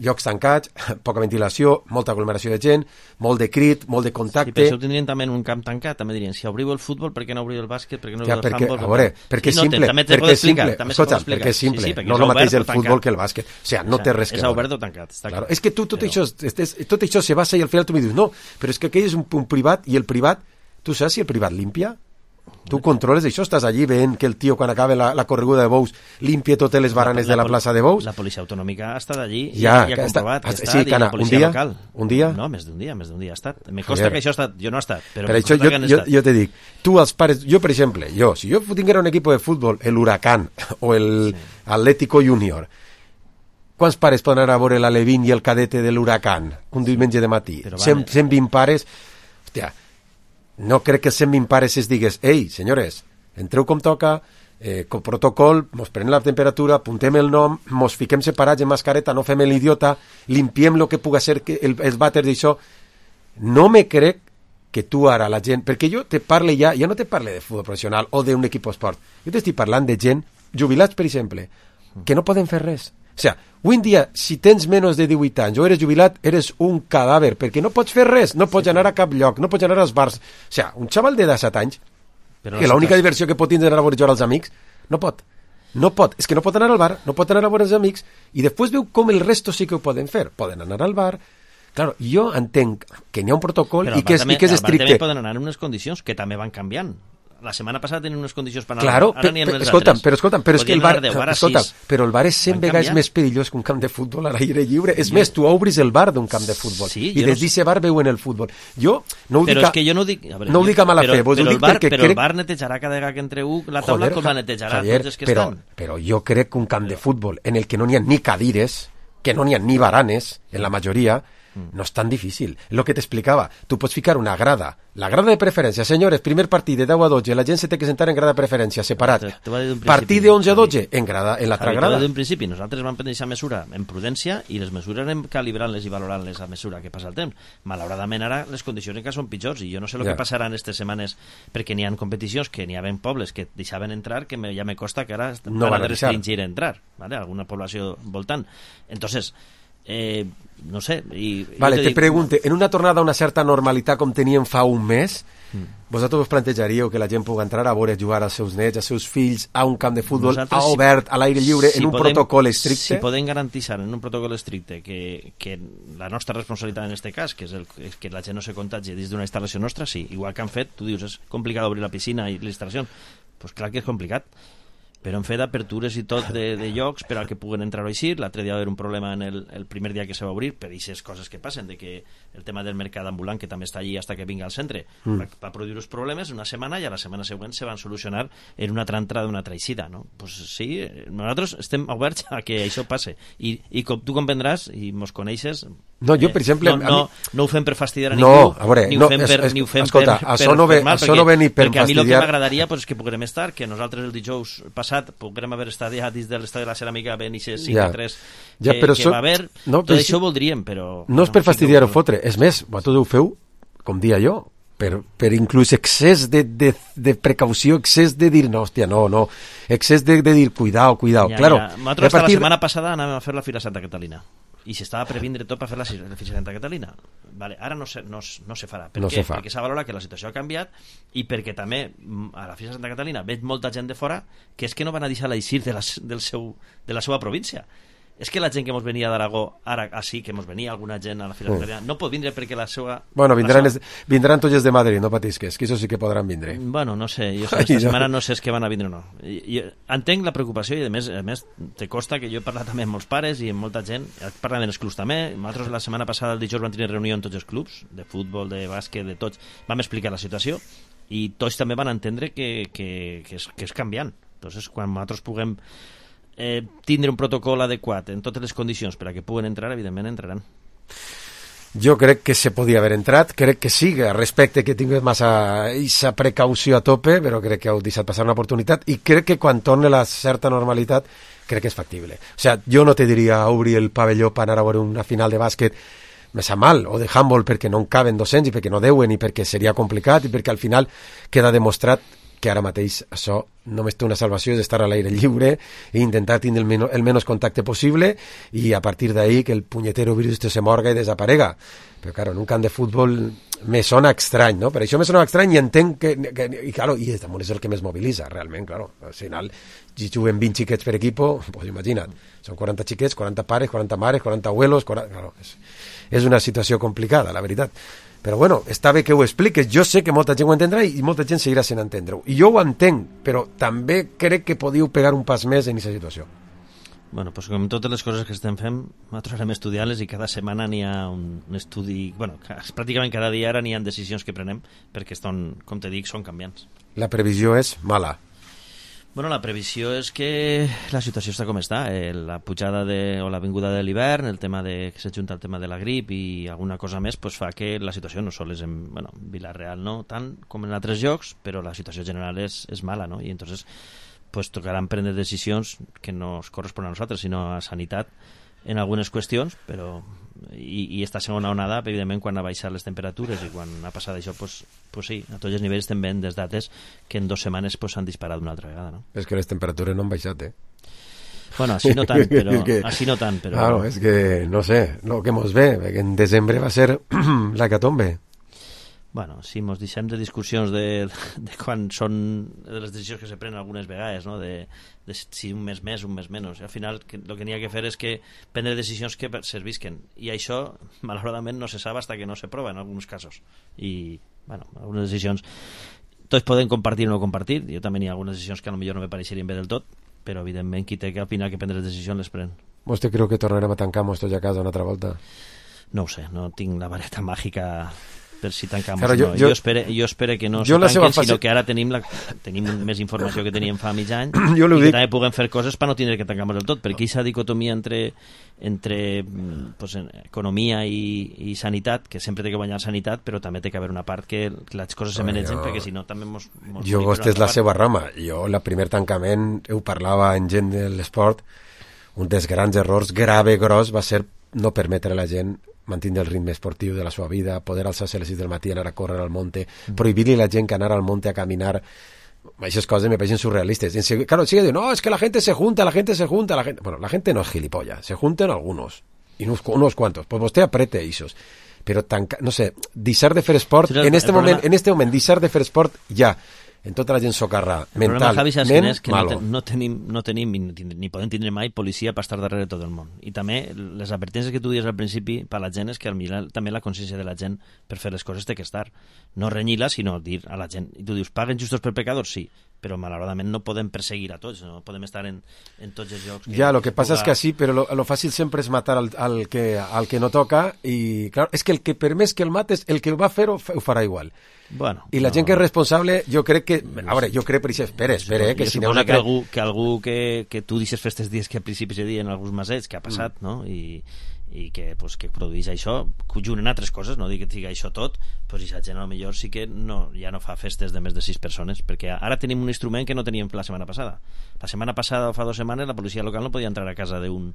llocs tancats, poca ventilació, molta aglomeració de gent, molt de crit, molt de contacte... Sí, però això ho tindrien també en un camp tancat, també dirien, si obriu el futbol, per què no obriu el bàsquet, per què no obriu el handbol... A veure, perquè és simple, perquè és simple, no és el mateix el futbol que el bàsquet, o sigui, no té res que veure. És obert o tancat, està clar. És que tot això se basa i al final tu me dius, no, però és que aquell és un privat i el privat, tu saps si el privat limpia? Tu controles això, estàs allí veient que el tio quan acaba la correguda de bous limpia totes les baranes de la plaça de bous? La policia autonòmica ha estat allí i ha comprovat que està, i la policia local. Un dia? No, més d'un dia ha estat. Me consta que això ha estat, jo no he estat, però per això jo te dic, tu els pares, jo per exemple, si jo tinguera un equip de futbol, el Huracán o el Atlético Junior, quants pares poden anar a veure l'Alevín i el cadete de l'Huracán un diumenge de matí? 120 pares, hòstia, no crec que 120 pares es digues, ei, senyores, entreu com toca, con protocol, mos prenem la temperatura, apuntem el nom, mos fiquem separats en mascareta, no fem l'idiota, limpiem el que puga ser els vàters d'això. No me crec que tu ara la gent... Perquè jo te parle ja no te parle de futbol professional o d'un equip esport. Jo t'estic parlant de gent, jubilats, per exemple, que no poden fer res. O sigui, avui en dia, si tens menys de 18 anys o eres jubilat, eres un cadàver, perquè no pots fer res, no pots anar a cap lloc, no pots anar als bars. O sigui, un xaval de 17 anys, que l'única diversió que pot tindre anar a veure jugar als amics, no pot. No pot. És que no pot anar al bar, no pot anar a veure els amics, i després veu com el resto sí que ho poden fer. Poden anar al bar, Claro, jo entenc que n'hi ha un protocol però i que és estricte. Però també poden anar en unes condicions que també van canviant. La setmana passada tenien unes condicions per anar, claro, ara n'hi ha unes escolta'm, altres. Però és que el bar, escolta'm, però el bar és 100 vegades més perillós que un camp de futbol a l'aire lliure. És més, tu obris el bar d'un camp de futbol i des d'aquest bar veuen el futbol. Jo no ho dic, però és que jo no ho dic, no ho dic a mala fe, però el bar netejarà cada vegada que entreu la taula com la netejarà Javier, tots els que estan. Però jo crec que un camp de futbol en el que no n'hi ha ni cadires, que no n'hi ha ni baranes, en la majoria, no és tan difícil. El que t'explicava, tu pots ficar una grada, la grada de preferència, senyores, primer partit de 10 a 12, la gent se té que sentar en grada de preferència, separat. Partit de 11 a 12, en l'altra grada. D'un principi, nosaltres vam prendre aquesta mesura en prudència i les mesures anem calibrant-les i valorant-les a mesura que passa el temps. Malauradament ara les condicions encara són pitjors i jo no sé el que passarà en aquestes setmanes, perquè n'hi ha competicions que n'hi ha pobles que deixaven entrar, que ja me costa que ara no van a restringir entrar, ¿vale? Alguna població voltant. Entonces, no sé... Vale, te pregunte, en una tornada a una certa normalitat com teníem fa un mes, vosaltres us plantejaríeu que la gent pugui entrar a veure jugar als seus nets, als seus fills, a un camp de futbol obert, a l'aire lliure, en un protocol estricte? Si podem garantir en un protocol estricte que la nostra responsabilitat en aquest cas, que és que la gent no se contagi dins d'una instal·lació nostra, sí, igual que han fet, tu dius, és complicat obrir la piscina i la instal·lació, doncs clar que és complicat, però han fet apertures i tot de llocs per al que puguen entrar o eixir. L'altre dia va haver un problema en el primer dia que se va obrir per aquestes coses que passen, de que el tema del mercat ambulant, que també està allí hasta que vinga al centre, va produir uns problemes una setmana i a la setmana següent se van solucionar en una altra entrada d'una altra eixida, no? Pues sí, nosaltres estem oberts a que això passe i com tu comprendràs i mos coneixes, no, jo, per exemple, no ho fem per fastidiar a ningú, ni ho fem per fer mal, perquè a mi el que m'agradaria és que puguem estar, que nosaltres el dijous passat puguem haver estat ja dins de l'estadi de la Ceràmica ben i 5-3 que va haver, tot això ho voldríem, però... No és per fastidiar o fotre, és més, vosaltres ho feu, com dia jo, per inclús excés de precaució, excés de dir, no, hòstia, no, excés de dir, cuidao. Claro, nosaltres la setmana passada anàvem a fer la Fira Santa Catalina i s'estava previndre tot per fer la Fira Santa Catalina. Vale, ara no se farà. Per què? Perquè s'ha valorat que la situació ha canviat i perquè també a la Fira Santa Catalina veig molta gent de fora que és que no van a deixar l'eixir de la seva província. És que la gent que mos venia d'Aragó, ara sí que mos venia alguna gent a la Fira Santa Catalina, no pot vindre perquè la seva... Bueno, vindran tots els de Madrid, no patisques, que això sí que podran vindre. Bueno, no sé, jo aquesta setmana no sé si van a vindre o no. Entenc la preocupació i a més te costa que jo he parlat també amb molts pares i amb molta gent, parlant dels clubs també. Nosaltres la setmana passada, el dijous, vam tenir reunió amb tots els clubs, de futbol, de bàsquet, de tots. Vam explicar la situació i tots també van entendre que és canviant. Entonces, quan nosaltres puguem tindre un protocol adequat en totes les condicions per a que puguen entrar, evidentment entraran. Jo crec que se podia haver entrat, crec que sí, respecte que tingués massa aquesta precaució a tope, però crec que heu deixat passar una oportunitat i crec que quan torni la certa normalitat crec que és factible. O sea, jo no te diria obrir el pavelló per anar a veure una final de bàsquet me sap mal, o de handball perquè no en caben 200 i perquè no deuen i perquè seria complicat i perquè al final queda demostrat que ara mateix això només té una salvació, és estar a l'aire lliure i intentar tindre el menys contacte possible i a partir d'ahí que el punyetero virus se morga i desaparega. Però, claro, en un camp de futbol me sona estrany, no? Per això me sona estrany i entenc i claro, i és el que més mobilitza, realment, claro. Al final, si juguen 20 xiquets per equipo, pues imagina't, són 40 xiquets, 40 pares, 40 mares, 40 abuelos, claro, és una situació complicada, la veritat. Però bueno, està bé que ho expliques, jo sé que molta gent ho entendrà i molta gent seguirà sent entendre-ho. I jo ho entenc, però també crec que podíeu pegar un pas més en aquesta situació. Bueno, pues com totes les coses que estem fent, nosaltres anem estudiant-les i cada setmana n'hi ha un estudi... Bueno, pràcticament cada dia ara n'hi ha decisions que prenem perquè estan, com te dic, són canviants. La previsió és mala. Bueno, la previsió és que la situació està com està. La pujada o la vinguda de l'hivern, el tema que s'ajunta el tema de la grip i alguna cosa més, pues fa que la situació no sols en Vila-real, no tant com en altres llocs, però la situació general és mala, no? I entonces pues tocaran prendre decisions que no es corresponen a nosaltres, sinó a sanitat en algunes qüestions, però i esta segona onada, evidentment, quan ha baixat les temperatures i quan ha passat això, pues sí, a tots els nivells estem veient des dates que en 2 setmanes s'han disparat una altra vegada, no? És que les temperatures no han baixat, Bueno, així no tant, però... Claro, és que, no sé, el que mos ve, que en desembre va ser l'hecatombe. Bueno, si mos deixem de discussions de quan són de les decisions que se prenen algunes vegades, no? de si un mes més, un mes menys. Al final el que n'hi ha que fer és que prendre decisions que servisquen, i això malauradament no se sap fins que no se prova en alguns casos. I, bueno, algunes decisions tots podem compartir o no compartir. Jo també hi ha algunes decisions que potser no me pareixerien bé del tot, però evidentment qui té que al final que prendre les decisions les pren. ¿Vostè creu que tornarem a tancar tots a casa una altra volta? No ho sé, no tinc la vareta màgica per si tancam. Claro, no. Jo espero que no se tanquen, sinó que ara tenim més informació que teníem fa mig any i que també puguem fer coses per no tenir que tancar del tot, perquè aquesta dicotomia entre pues, economia i sanitat, que sempre té que guanyar sanitat, però també té que haver una part que les coses se manegen, perquè si no també jo, vostè és la seva rama. Jo, el primer tancament, ho parlava en gent de l'esport, un dels grans errors gros va ser no permetre a la gent mantenir el ritme esportiu de la seva vida, poder alçar-se a les 6 del matí, anar a córrer al monte, prohibir-li a la gent que anar al monte a caminar. Esas cosas me parecen surrealistas. Claro, sigue diciendo, no, es que la gente se junta. Bueno, la gente no es gilipollas, se juntan algunos, y unos cuantos. Pues usted aprete esos. Pero no sé, deixar de fer esport, en este moment, deixar de fer esport ja, en tota la gent socarrà, mentalment, malo. No tenim ni podem tindre mai policia per estar darrere de tot el món. I també les advertències que tu dius al principi per la gent és que també la consciència de la gent per fer les coses té que estar. No renyir-la, sinó dir a la gent. I tu dius, paguen justos per pecadors? Sí, però malauradament no podem perseguir a tots, no podem estar en tots els llocs. Ja, lo que passa és que sí, però lo fàcil sempre és matar al que no toca, i claro, és que el que per més que el mates, el que ho va fer ho farà igual. Bueno, i la gent que és responsable, jo crec que... A veure, jo crec per això... Espera, que si no... Que algú que tu deixes fer aquests dies que al principi se diuen alguns masets, que ha passat, no? I que produeix això, conjunt en altres coses, no dic que sigui això tot, doncs aquesta gent potser sí que ja no fa festes de més de 6 persones, perquè ara tenim un instrument que no teníem la setmana passada. La setmana passada o fa 2 setmanes la policia local no podia entrar a casa d'un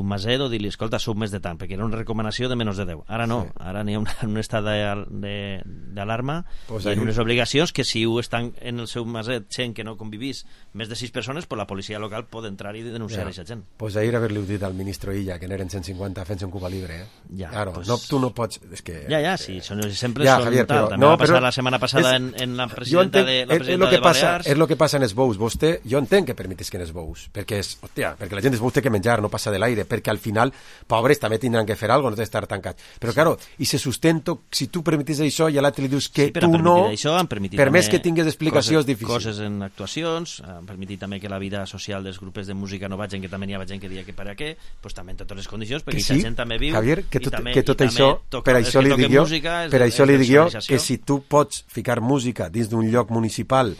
maset o dir-li, escolta, sou més de tant, perquè era una recomanació de menys de 10. Ara no, ara n'hi ha un estat d'alarma i en unes obligacions que si ho estan en el seu maset gent que no convivís més de 6 persones, pues la policia local pot entrar i denunciar aquesta gent. Pues ahir haver-li dit al ministre Illa que n'eren 150 fent-se un Cuba Libre, Ja, claro, pues... no, tu no pots... És que... Ja, sí, són exemples, ja, Javier, tal. També va passar la setmana passada en la presidenta de Balears. És el que passa en els bous. Vostè, jo entenc que permetis que en els bous, perquè la gent dels bous té que menjar, no passa de l'aire, perquè al final, pobres, també tindran que fer alguna cosa, no té d'estar tancats. Però, claro, i se sustento, si tu permetis això i a l'altre li dius que tu no, per més que tingues explicacions difícils. Coses en actuacions, han permitit també que la vida social dels grups de música no vagin, que també hi ha gent que diria que per a què, doncs també en totes les condicions, perquè aquesta gent també viu. Javier, que tot això, per això li dic jo, que si tu pots ficar música dins d'un lloc municipal,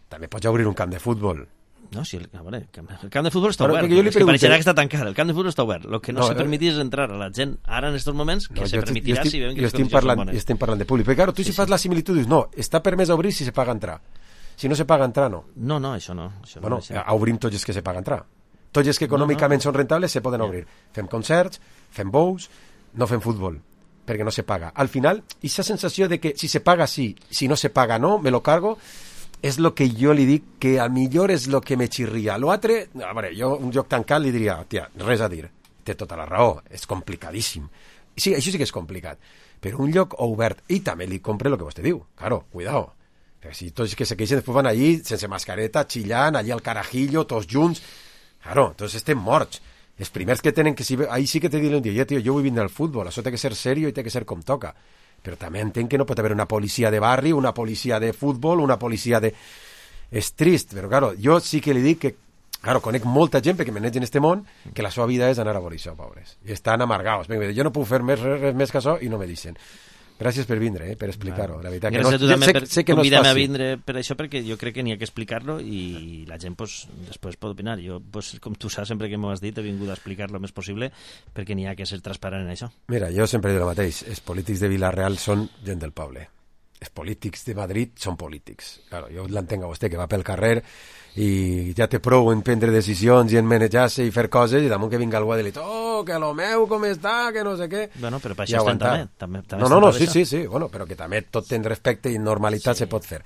també pots obrir un camp de futbol. No, sí, el camp de futbol està obert. És que pareixerà que està tancat. El camp de futbol està obert. El que no se permetís és entrar a la gent ara en aquests moments, que se permetirà si veuen que les condicions són bones. Jo estem parlant de públic. Però, claro, tu si fas la similitud dius, no, està permès obrir si se paga entrar. Si no se paga entrar, no. No, això no. Bueno, obrim tots els que se paga entrar. Tots els que econòmicament són rentables se poden obrir. Fem concerts, fem bous, no fem futbol, perquè no se paga. Al final, aquesta sensació de que si se paga sí, si no se paga no, me lo cargo, és el que jo li dic que a millor és el que me xirria. L'altre, a veure, jo un lloc tancat li diria, tia, res a dir, té tota la raó, és complicadíssim. Sí, això sí que és complicat, però un lloc obert, i també li compre el que vostè diu, claro, cuidao. Perquè si tots que se queixen després van allí, sense mascareta, xillant, allí al carajillo, tots junts, claro, tots estem morts. Els primers que tenen que... Ahí sí que te diuen un dia, tio, jo vull vindre al futbol, això té que ser serio i té que ser com toca. Però també entenc que no pot haver una policia de barri, una policia de futbol, una policia de... És trist, però, claro, jo sí que li dic que, claro, conec molta gent, perquè m'eneix en este món, que la seva vida és anar a veure això, pobres. I estan amargados. Jo no puc fer res més que això i no me deixen. Gràcies per vindre, per explicar-ho. La veritat, gràcies a tu també per convidar-me a vindre per això, perquè jo crec que n'hi ha que explicar-lo i la gent després pot opinar. Jo, com tu saps, sempre que m'ho has dit, he vingut a explicar-lo el més possible perquè n'hi ha que ser transparent en això. Mira, jo sempre dic el mateix. Els polítics de Vila-real són gent del poble. Els polítics de Madrid són polítics. Claro, jo l'entenc a vostè, que va pel carrer i ja té prou en prendre decisions i en manejar-se i fer coses, i damunt que vinga algú a dir-li, que lo meu com està, que no sé què. Bueno, però per això estem també. No, sí, bueno, però que també tot ten respecte i normalitat se pot fer.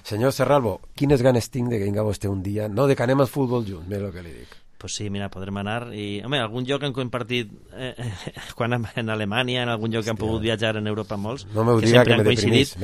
Senyor Serralvo, quines ganes tinc de que vinga vostè un dia, no de que anem al futbol junts, mira el que li dic. Pues sí, mira, podrem anar i, home, algun lloc han compartit quan en Alemanya, en algun lloc que han pogut viatjar en Europa molts, no m'ho diga que me deprimís.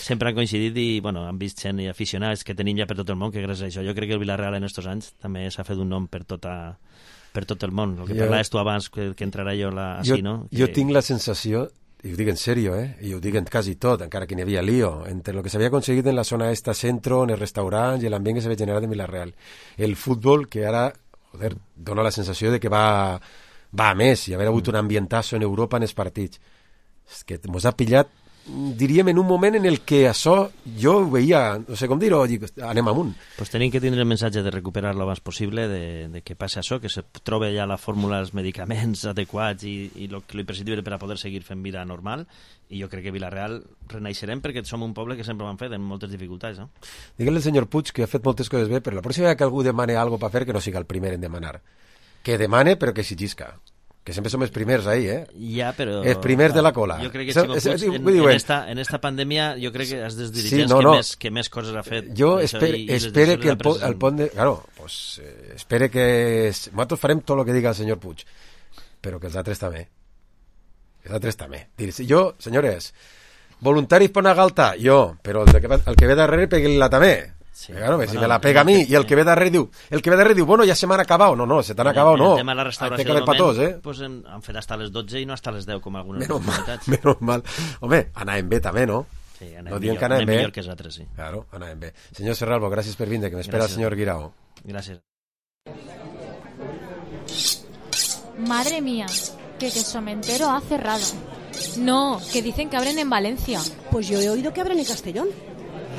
Sempre han coincidit i, bueno, han vist gent i aficionats que tenim ja per tot el món, que gràcies a això jo crec que el Villarreal en estos anys també s'ha fet un nom per tot el món. El que parlaves tu abans, que entrarà jo així, no? Jo tinc la sensació, i ho dic en sèrio, i ho dic en quasi tot, encara que n'hi havia lío, entre lo que s'havia aconseguit en la zona esta centro, en els restaurants i l'ambient que s'havia generat en Villarreal. El futbol, que ara dona la sensació de que va a més, i haver hagut un ambientazo en Europa en els partits. És que mos ha pillat, diríem, en un moment en el que això jo ho veia, no sé com dir-ho, anem amunt. Pues tenim que tindre el missatge de recuperar lo abans possible, de que passi això, que se trobe ja la fórmula, els medicaments adequats i lo imprescindible per a poder seguir fent vida normal, i jo crec que Villarreal renaixerem perquè som un poble que sempre ho han fet amb moltes dificultats, no? Digue'l al senyor Puig que ha fet moltes coses bé, però la pròxima vegada que algú demane algo per fer, que no siga el primer en demanar. Que demane, però que exigisca. Que sempre som els primers ahí, Ja, però... Els primers de la cola. Jo crec que Ximo Puig, en esta pandèmia, jo crec que és dels dirigents que més coses ha fet. Jo espero que el pont de... Claro, pues espero que... Nosaltres farem tot el que diga el senyor Puig, però que els altres també. Els altres també. Jo, senyores, voluntaris per una galta, jo, però el que ve darrere pegue-la també. Sí, claro, bueno, si me la pega a mi, i el que ve darrere diu, bueno, ja se m'han acabat, no, se t'han acabat, no. El tema de la restauració del moment, pues han fet hasta les 12 i no hasta les 10, com algunes comunitats. Menos mal. Home, anàvem bé també, no? Sí, anem millor que els altres, sí. Claro, anàvem bé. Senyor Serralvo, gràcies per vindre, que m'espera el senyor Guirao. Gràcies. Madre mía, que Quesomentero ha cerrado. No, que dicen que abren en Valencia. Pues yo he oído que abren en Castellón.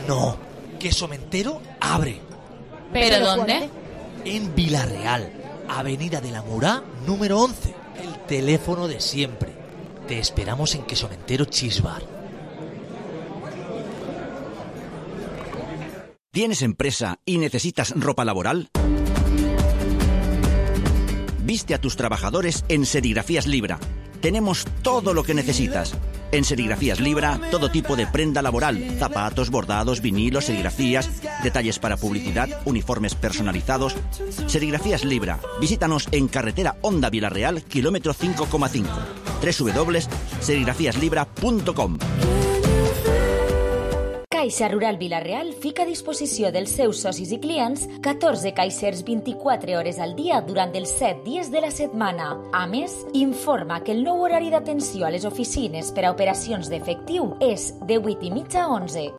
No, Quesomentero abre. ¿Pero dónde? En Villarreal, Avenida de la Murá, número 11. El teléfono de siempre. Te esperamos en Quesomentero Cheese Bar. ¿Tienes empresa y necesitas ropa laboral? Viste a tus trabajadores en Serigrafías Libra. Tenemos todo lo que necesitas. En Serigrafías Libra, todo tipo de prenda laboral, zapatos, bordados, vinilos, serigrafías, detalles para publicidad, uniformes personalizados. Serigrafías Libra. Visítanos en carretera Honda Villarreal, kilómetro 5,5. www.serigrafíaslibra.com. Caixa Rural Vila-real fica a disposició dels seus socis i clients 14 caixers 24 hores al dia durant els 7 dies de la setmana. A més, informa que el nou horari d'atenció a les oficines per a operacions d'efectiu és de 8:30 a 11.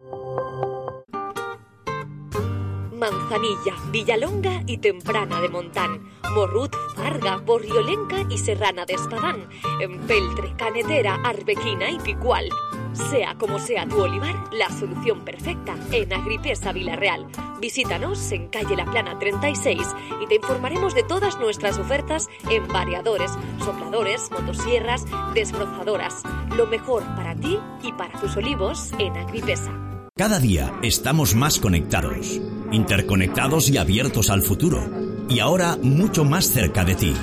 Manzanilla, Villalonga y Temprana de Montán, Morrut, Farga, Borriolenca y Serrana de Espadán, Empeltre, Canetera, Arbequina y Picual. Sea como sea tu olivar, la solución perfecta en Agripesa Villarreal. Visítanos en calle La Plana 36 y te informaremos de todas nuestras ofertas en variadores, sopladores, motosierras, desbrozadoras. Lo mejor para ti y para tus olivos en Agripesa. Cada día estamos más conectados, interconectados y abiertos al futuro. Y ahora mucho más cerca de ti.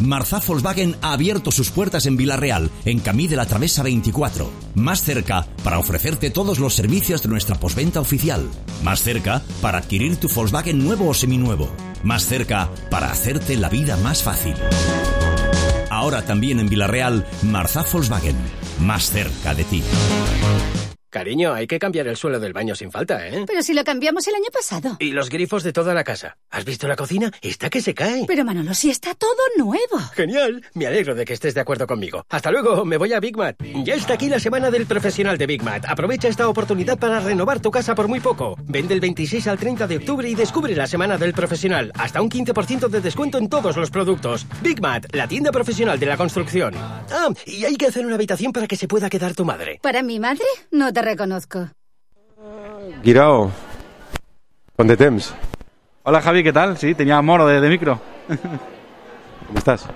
Marzá Volkswagen ha abierto sus puertas en Villarreal, en Camí de la Travesa 24. Más cerca para ofrecerte todos los servicios de nuestra postventa oficial. Más cerca para adquirir tu Volkswagen nuevo o seminuevo. Más cerca para hacerte la vida más fácil. Ahora también en Villarreal, Marzá Volkswagen. Más cerca de ti. Cariño, hay que cambiar el suelo del baño sin falta, ¿eh? Pero si lo cambiamos el año pasado. Y los grifos de toda la casa. ¿Has visto la cocina? Está que se cae. Pero Manolo, si está todo nuevo. Genial. Me alegro de que estés de acuerdo conmigo. Hasta luego, me voy a Big Mat. Ya está aquí la semana del profesional de Big Mat. Aprovecha esta oportunidad para renovar tu casa por muy poco. Vende el 26 al 30 de octubre y descubre la semana del profesional. Hasta un 15% de descuento en todos los productos. Big Mat, la tienda profesional de la construcción. Ah, y hay que hacer una habitación para que se pueda quedar tu madre. ¿Para mi madre? No te reconozco. Guirao, ¿cuánto temps? Hola Javi, ¿qué tal? Sí, tenía moro de micro. Com estàs?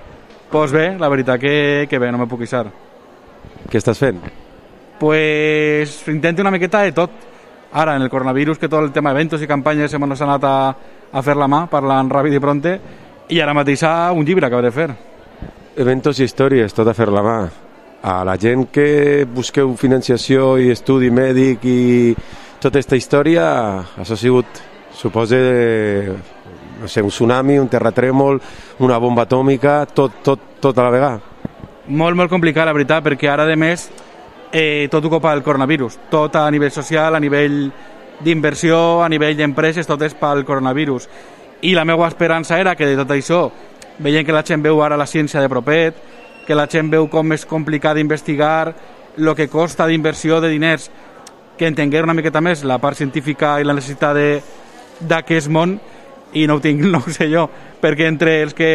Pues bé, la veritat que bé, no me puc queixar. Què estàs fent? Pues intento una miqueta de tot. Ara, en el coronavirus, que tot el tema d'eventos i campanyes hem anat a fer la mà, parlant ràpid i pronte, i ara mateix un llibre que hauré de fer. Eventos i històries, tot a fer la mà. A la gent que busqueu financiació i estudi mèdic i tota aquesta història, això ha sigut, suposa, no sé, un tsunami, un terratrèmol, una bomba atòmica, tot a la vegada. Molt complicat, la veritat, perquè ara, de més, tot ho copa el coronavirus. Tot a nivell social, a nivell d'inversió, a nivell d'empreses, tot és pel coronavirus. I la meva esperança era que de tot això, veient que la gent veu ara la ciència de propet, que la gent veu com és complicat d'investigar, el que costa d'inversió de diners, que entengués una miqueta més la part científica i la necessitat d'aquest món, i no ho tinc, no ho sé jo, perquè entre els que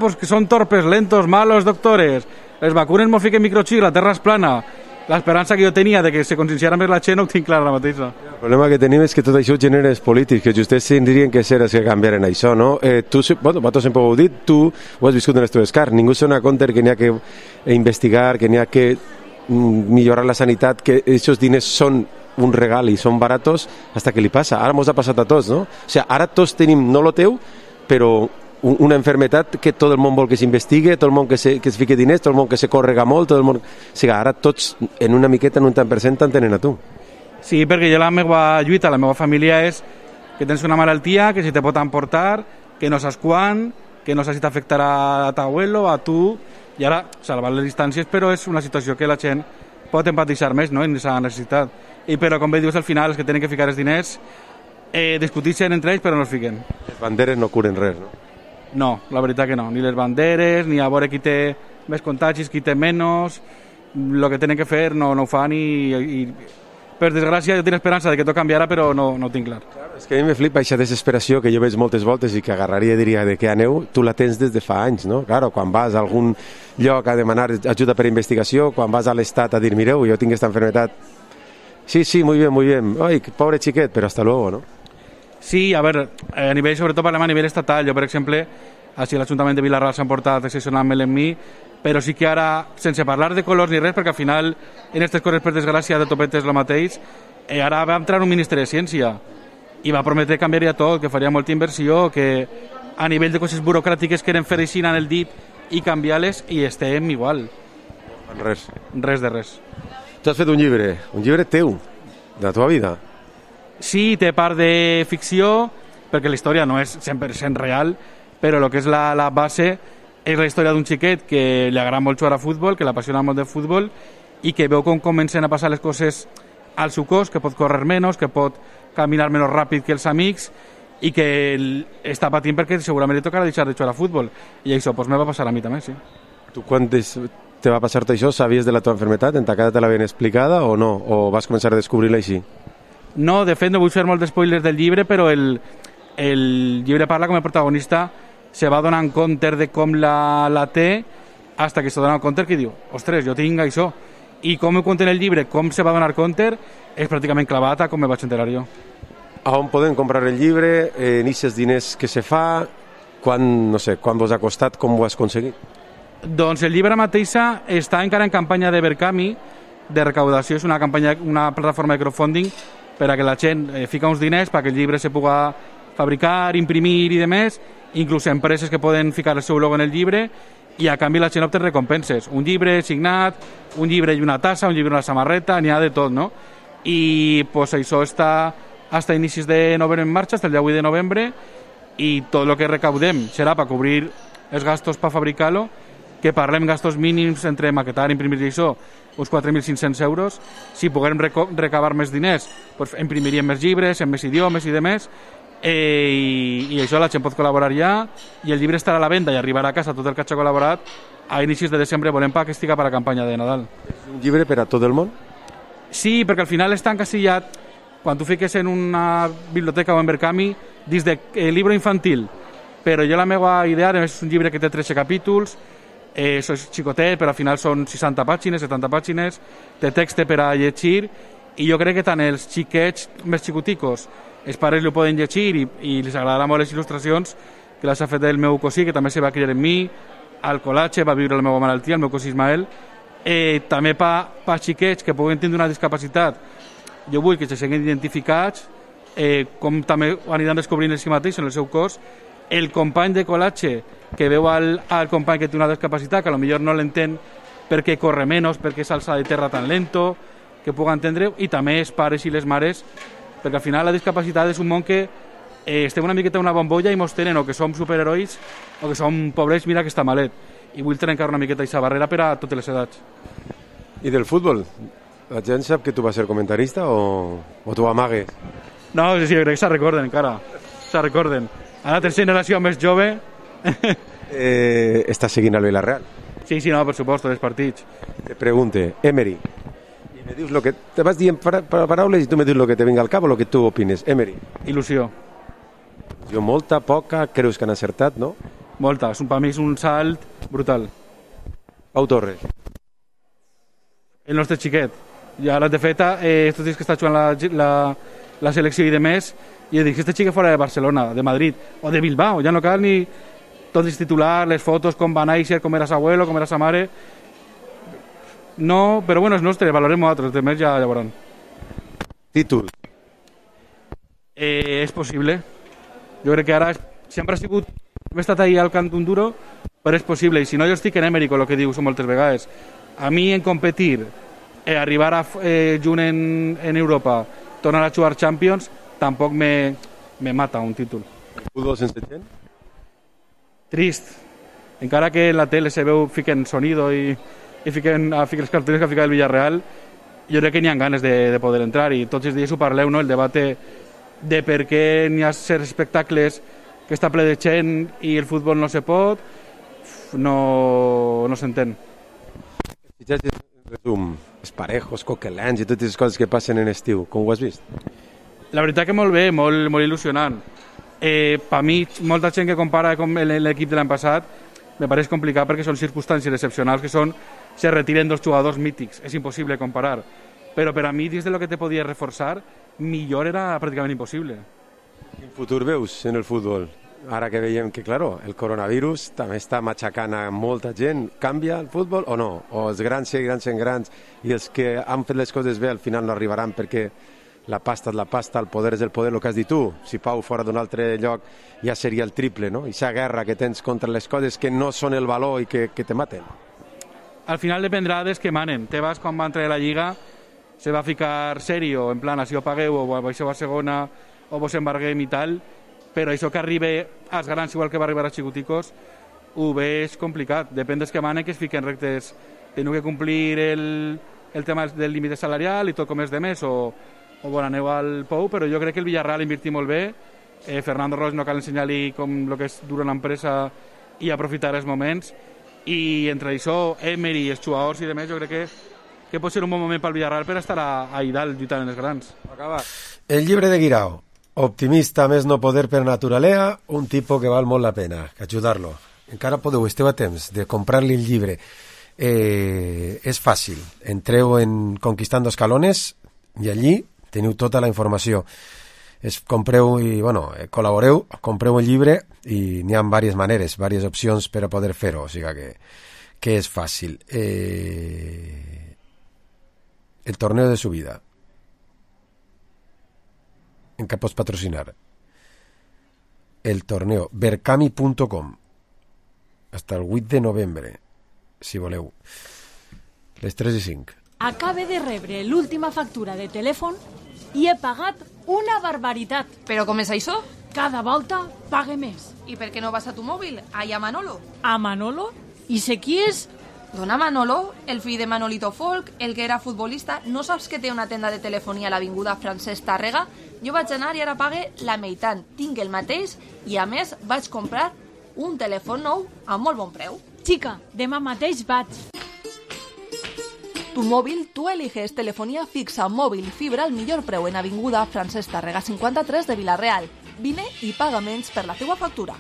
pues que són torpes, lentos, malos, doctores, les vacunes m'ho fiquen microxip, la terra és plana, l'esperança que jo tenia de que se conscienciara més la gent no ho tinc clar ara mateix. El problema que tenim és que tot això genera els polítics, que justets tindrien que ser els que canviaren això, no? Vosaltres sempre ho heu dit, tu ho has viscut en les teves carns, ningú se dona compte que n'hi ha que investigar, que n'hi ha que millorar la sanitat, que aquests diners són un regal i són baratos, hasta que li passa. Ara mos ha passat a tots, no? O sigui, ara tots tenim, no lo teu, però una enfermetat que tot el món vol que s'investigue, tot el món que es fique diners, tot el món que se córrega molt, tot el món... O sigui, ara tots, en una miqueta, en un tant per cent, t'entenen a tu. Sí, perquè jo la meva lluita, la meva família és que tens una malaltia, que si te pot emportar, que no saps quan, que no saps si t'afectarà a t'abuelo, a tu, i ara, salvar les distàncies, però és una situació que la gent pot empatitzar més, no?, en aquesta necessitat. I però, com bé dius, al final, els que tenen que ficar els diners discuteixen entre ells, però no els fiquen. Les banderes no curen res, no? No, la veritat que no. Ni les banderes, ni a veure qui té més contagis, qui té menys. El que tenen que fer no ho fan i per desgràcia jo tinc esperança de que tot canviarà, però no ho tinc clar. Claro, és que a mi me flipa aquesta desesperació que jo veig moltes voltes i que agarraria i diria de què aneu, tu la tens des de fa anys, no? Claro, quan vas a algun lloc a demanar ajuda per investigació, quan vas a l'Estat a dir, mireu, jo tinc aquesta enfermedad. Sí, muy bien. Ay, pobre xiquet, però hasta luego, ¿no? Sí, a veure, a nivell, sobretot parlem a nivell estatal. Jo, per exemple, així l'Ajuntament de Vilarral s'ha portat excepcionalment en mi, però sí que ara, sense parlar de colors ni res, perquè al final, en aquestes coses, per desgràcia, de topet és el mateix, ara va entrar un ministre de Ciència i va prometre que canviaria tot, que faria molta inversió, que a nivell de coses burocràtiques que eren fer així en el dit i canviar-les, i estem igual. Res. Res de res. Tu has fet un llibre teu, de la teva vida. Sí, té part de ficció, perquè la història no és 100% real, però el que és la base és la història d'un xiquet que li agrada molt jugar a futbol, que l'apassiona molt de futbol i que veu com comencen a passar les coses al seu cos, que pot córrer menys, que pot caminar menys ràpid que els amics i que està patint perquè segurament li tocarà deixar de jugar a futbol. I això me va passar a mi també, sí. Tu quan te va passar-te això, sabies de la teva enfermedad? En ta casa te l'havien explicada o no? O vas començar a descobrir-la així? No, de fet no vull fer molt d'espoilers del llibre, però el llibre parla com el protagonista se va donant compte de com la té hasta que se dona compte que diu, ostres, jo tinc això. I com ho conté en el llibre, com se va donar compte, és pràcticament clavat a com me vaig enterar jo. A on podem comprar el llibre? En aquests diners que se fa? Quan vos ha costat? Com ho has aconseguit? Doncs el llibre mateixa està encara en campanya de Verkami, de recaudació. És una plataforma de crowdfunding per a que la gent fica uns diners perquè el llibre se puga fabricar, imprimir i demés, inclús empreses que poden ficar el seu logo en el llibre i a canvi la gent obté recompenses. Un llibre signat, un llibre i una tassa, un llibre i una samarreta, n'hi ha de tot, no? I pues, això està fins a inicis de novembre en marxa, fins el dia 8 de novembre, i tot el que recaudem serà per cobrir els gastos per fabricar-lo, que parlem gastos mínims entre maquetar, imprimir i això, uns 4.500 euros. Si puguem recabar més diners, pues imprimiríem més llibres, en més idiomes i demés, i això la gent pot col·laborar ja, i el llibre estarà a la venda i arribarà a casa tot el que ha col·laborat a inicis de desembre. Volem que estiga per a la campanya de Nadal. És un llibre per a tot el món? Sí, perquè al final està encasillat, quan tu fiques en una biblioteca o en Verkami, dins de llibre infantil, però jo la meva idea és un llibre que té 13 capítols, això és xicotet, però al final són 60 pàgines, 70 pàgines, té text per a llegir, i jo crec que tant els xiquets més xicoticos, els pares ho poden llegir i els agradarà molt les il·lustracions que les ha fet el meu cosí, que també se va criar en mi, al col·latge, va viure la meva malaltia, el meu cosí Ismael, també per xiquets que puguen tindre una discapacitat. Jo vull que se siguin identificats, com també ho aniran descobrint ells mateixos en el seu cos, el company de col·latge que veu al company que té una discapacitat, que potser no l'entén perquè corre menys, perquè s'alça de terra tan lento, que puga entendre, i també els pares i les mares, perquè al final la discapacitat és un món que estem una miqueta en una bombolla i mos tenen o que som superherois o que som pobrets, mira que està malet. I vull trencar una miqueta aquesta barrera per a totes les edats. I del futbol? La gent sap que tu vas ser comentarista o tu amagues? No, sí, crec que se recorden encara. Se recorden. Ara tens generació més jove. Estàs seguint el Villarreal? Sí, no, per suposo, els partits. Te pregunte, Emery, i me dius lo que te vas dient paraules i tu me dius lo que te venga al cap o lo que tu opines. Emery. Il·lusió. Jo molta, poca, creus que han acertat, no? Molta, per mi és un salt brutal. Pau Torres. El nostre xiquet. Ja de feta, estos dies que està jugant la selecció i de més, i he dit que este xiquet fora de Barcelona, de Madrid, o de Bilbao, ja no cal ni tot els titulars, les fotos, com va néixer, com era sa abuelo, com era sa mare. No, però bueno, és nostre, valorem altres, de més ja veuran. Títol. És possible. Jo crec que ara sempre ha sigut... Hem estat ahí al cant d'un duro, però és possible. I si no, jo estic en Emery, con lo que diu moltes vegades. A mi, en competir, arribar a junt en Europa, tornar a jugar Champions, tampoc me mata un títol. Futbol sense gent? Trist. Encara que en la tele se veu, fiquen sonido i fiquen els cartells que ha ficat el Villarreal, jo crec que n'hi ha ganes de poder entrar i tots els dies ho parleu, no? El debat de per què n'hi ha certs espectacles que està ple de gent i el futbol no se pot, no s'entén. Resum, esparejos, coquelans i totes les coses que passen en estiu, com ho has vist? La veritat que molt bé, molt il·lusionant. Per mi, molta gent que compara amb l'equip de l'any passat me pareix complicat perquè són circumstàncies excepcionals que se retiren dos jugadors mítics, és impossible comparar. Però per a mi, dins de lo que te podia reforçar, millor era pràcticament impossible. Quin futur veus en el futbol? Ara que veiem que, claro, el coronavirus també està matxacant a molta gent. Canvia el futbol o no? O els grans seguiran sent grans i els que han fet les coses bé al final no arribaran perquè la pasta és la pasta, el poder és el poder, el que has dit tu. Si Pau fora d'un altre lloc ja seria el triple, no? I aquesta guerra que tens contra les coses que no són el valor i que te maten. Al final dependrà dels que manen. Tebas, quan va entrar a la Lliga, se va ficar serio, en plan, si ho pagueu o baixeu a segona o vos embarguem i tal, però això que arribi als grans igual que va arribar a xicoticos ho veig complicat. Depèn dels que manen que es fiquen rectes. Teniu que complir el tema del límit salarial i tot com és de més o aneu al Pou, però jo crec que el Villarreal invertir molt bé. Fernando Roig no cal ensenyar-li com el que és dur una empresa i aprofitar els moments, i entre això, Emery i els jugadors i demés, jo crec que pot ser un bon moment pel Villarreal per estar a dalt lluitant en els grans. El llibre de Guirao, optimista més no poder per naturalea, un tipus que val molt la pena, ajudar-lo. Encara podeu, esteu a temps de comprar-li el llibre. És fàcil, entreu en Conquistando Escalones i allí teniu tota la informació. Compreu i, col·laboreu, compreu el llibre i n'hi ha diverses maneres, diverses opcions per a poder fer-ho, o sigui que és fàcil. El torneo de su vida. En què pots patrocinar? El torneo, berkami.com, hasta el 8 de novembre, si voleu. Les 3 i 5. Acabe de rebre l'última factura de telèfon i he pagat una barbaritat. Però com és això? Cada volta pague més. I per què no vas a tu mòbil? Allà a Manolo. A Manolo? I sé qui és? Dona Manolo, el fill de Manolito Folk, el que era futbolista. No saps que té una tenda de telefonia a l'avinguda Francesc Tàrrega? Jo vaig anar i ara pague la meitat. Tinc el mateix i, a més, vaig comprar un telèfon nou a molt bon preu. Xica, demà mateix vaig. Tu móvil, tú eliges telefonía fixa, móvil y fibra al millor preu en avinguda Francesc Tàrrega 53 de Vila-real. Vine i paga menys per la teua factura.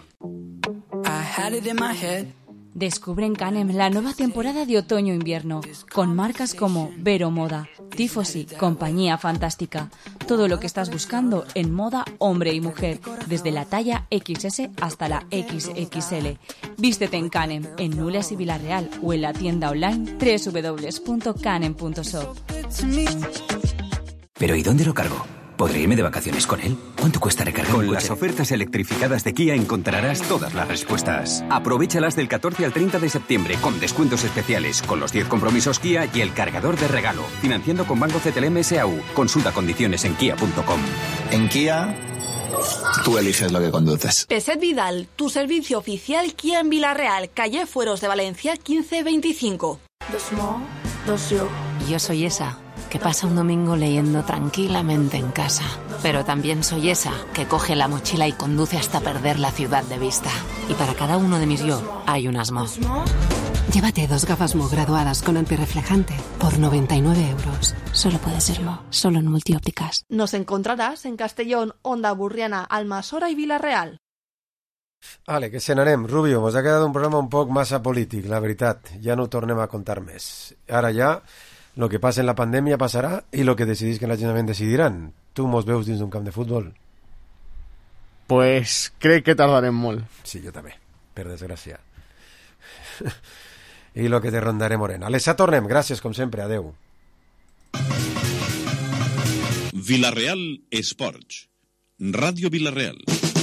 Descubre en Canem la nueva temporada de otoño-invierno, con marcas como Vero Moda, Tifosi, Compañía Fantástica. Todo lo que estás buscando en moda hombre y mujer, desde la talla XS hasta la XXL. Vístete en Canem, en Nules y Vila-real, o en la tienda online www.canem.shop. ¿Pero y dónde lo cargo? ¿Podré irme de vacaciones con él? ¿Cuánto cuesta recargar un coche? Con las ofertas electrificadas de Kia encontrarás todas las respuestas. Aprovéchalas del 14 al 30 de septiembre con descuentos especiales, con los 10 compromisos Kia y el cargador de regalo. Financiando con Banco CTLM SAU. Consulta condiciones en kia.com. En Kia, Tú eliges lo que conduces. Peset Vidal, tu servicio oficial Kia en Villarreal, calle Fueros de Valencia 1525. Yo soy esa que pasa un domingo leyendo tranquilamente en casa. Pero también soy esa que coge la mochila y conduce hasta perder la ciudad de vista. Y para cada uno de mis yo hay un Asmo. Llévate 2 gafas Mo graduadas con antirreflejante por 99 euros. Solo puede ser Mo, solo en Multiópticas. Nos encontrarás en Castellón, Onda Burriana, Almassora y Villarreal. Vale, que cenarem. Rubio, mos ha quedat un programa un poc massa polític, la veritat. Ja no ho tornem a contar més. Ara ja, lo que passa en la pandèmia passarà i lo que decidís que l'Ajuntament decidiran. Tu mos veus dins d'un camp de futbol? Pues crec que tardarem molt. Sí, jo també, per desgràcia. I lo que te rondaré morena. Alessa, tornem. Gràcies, com sempre. Adeu. Villarreal Esports. Ràdio Villarreal.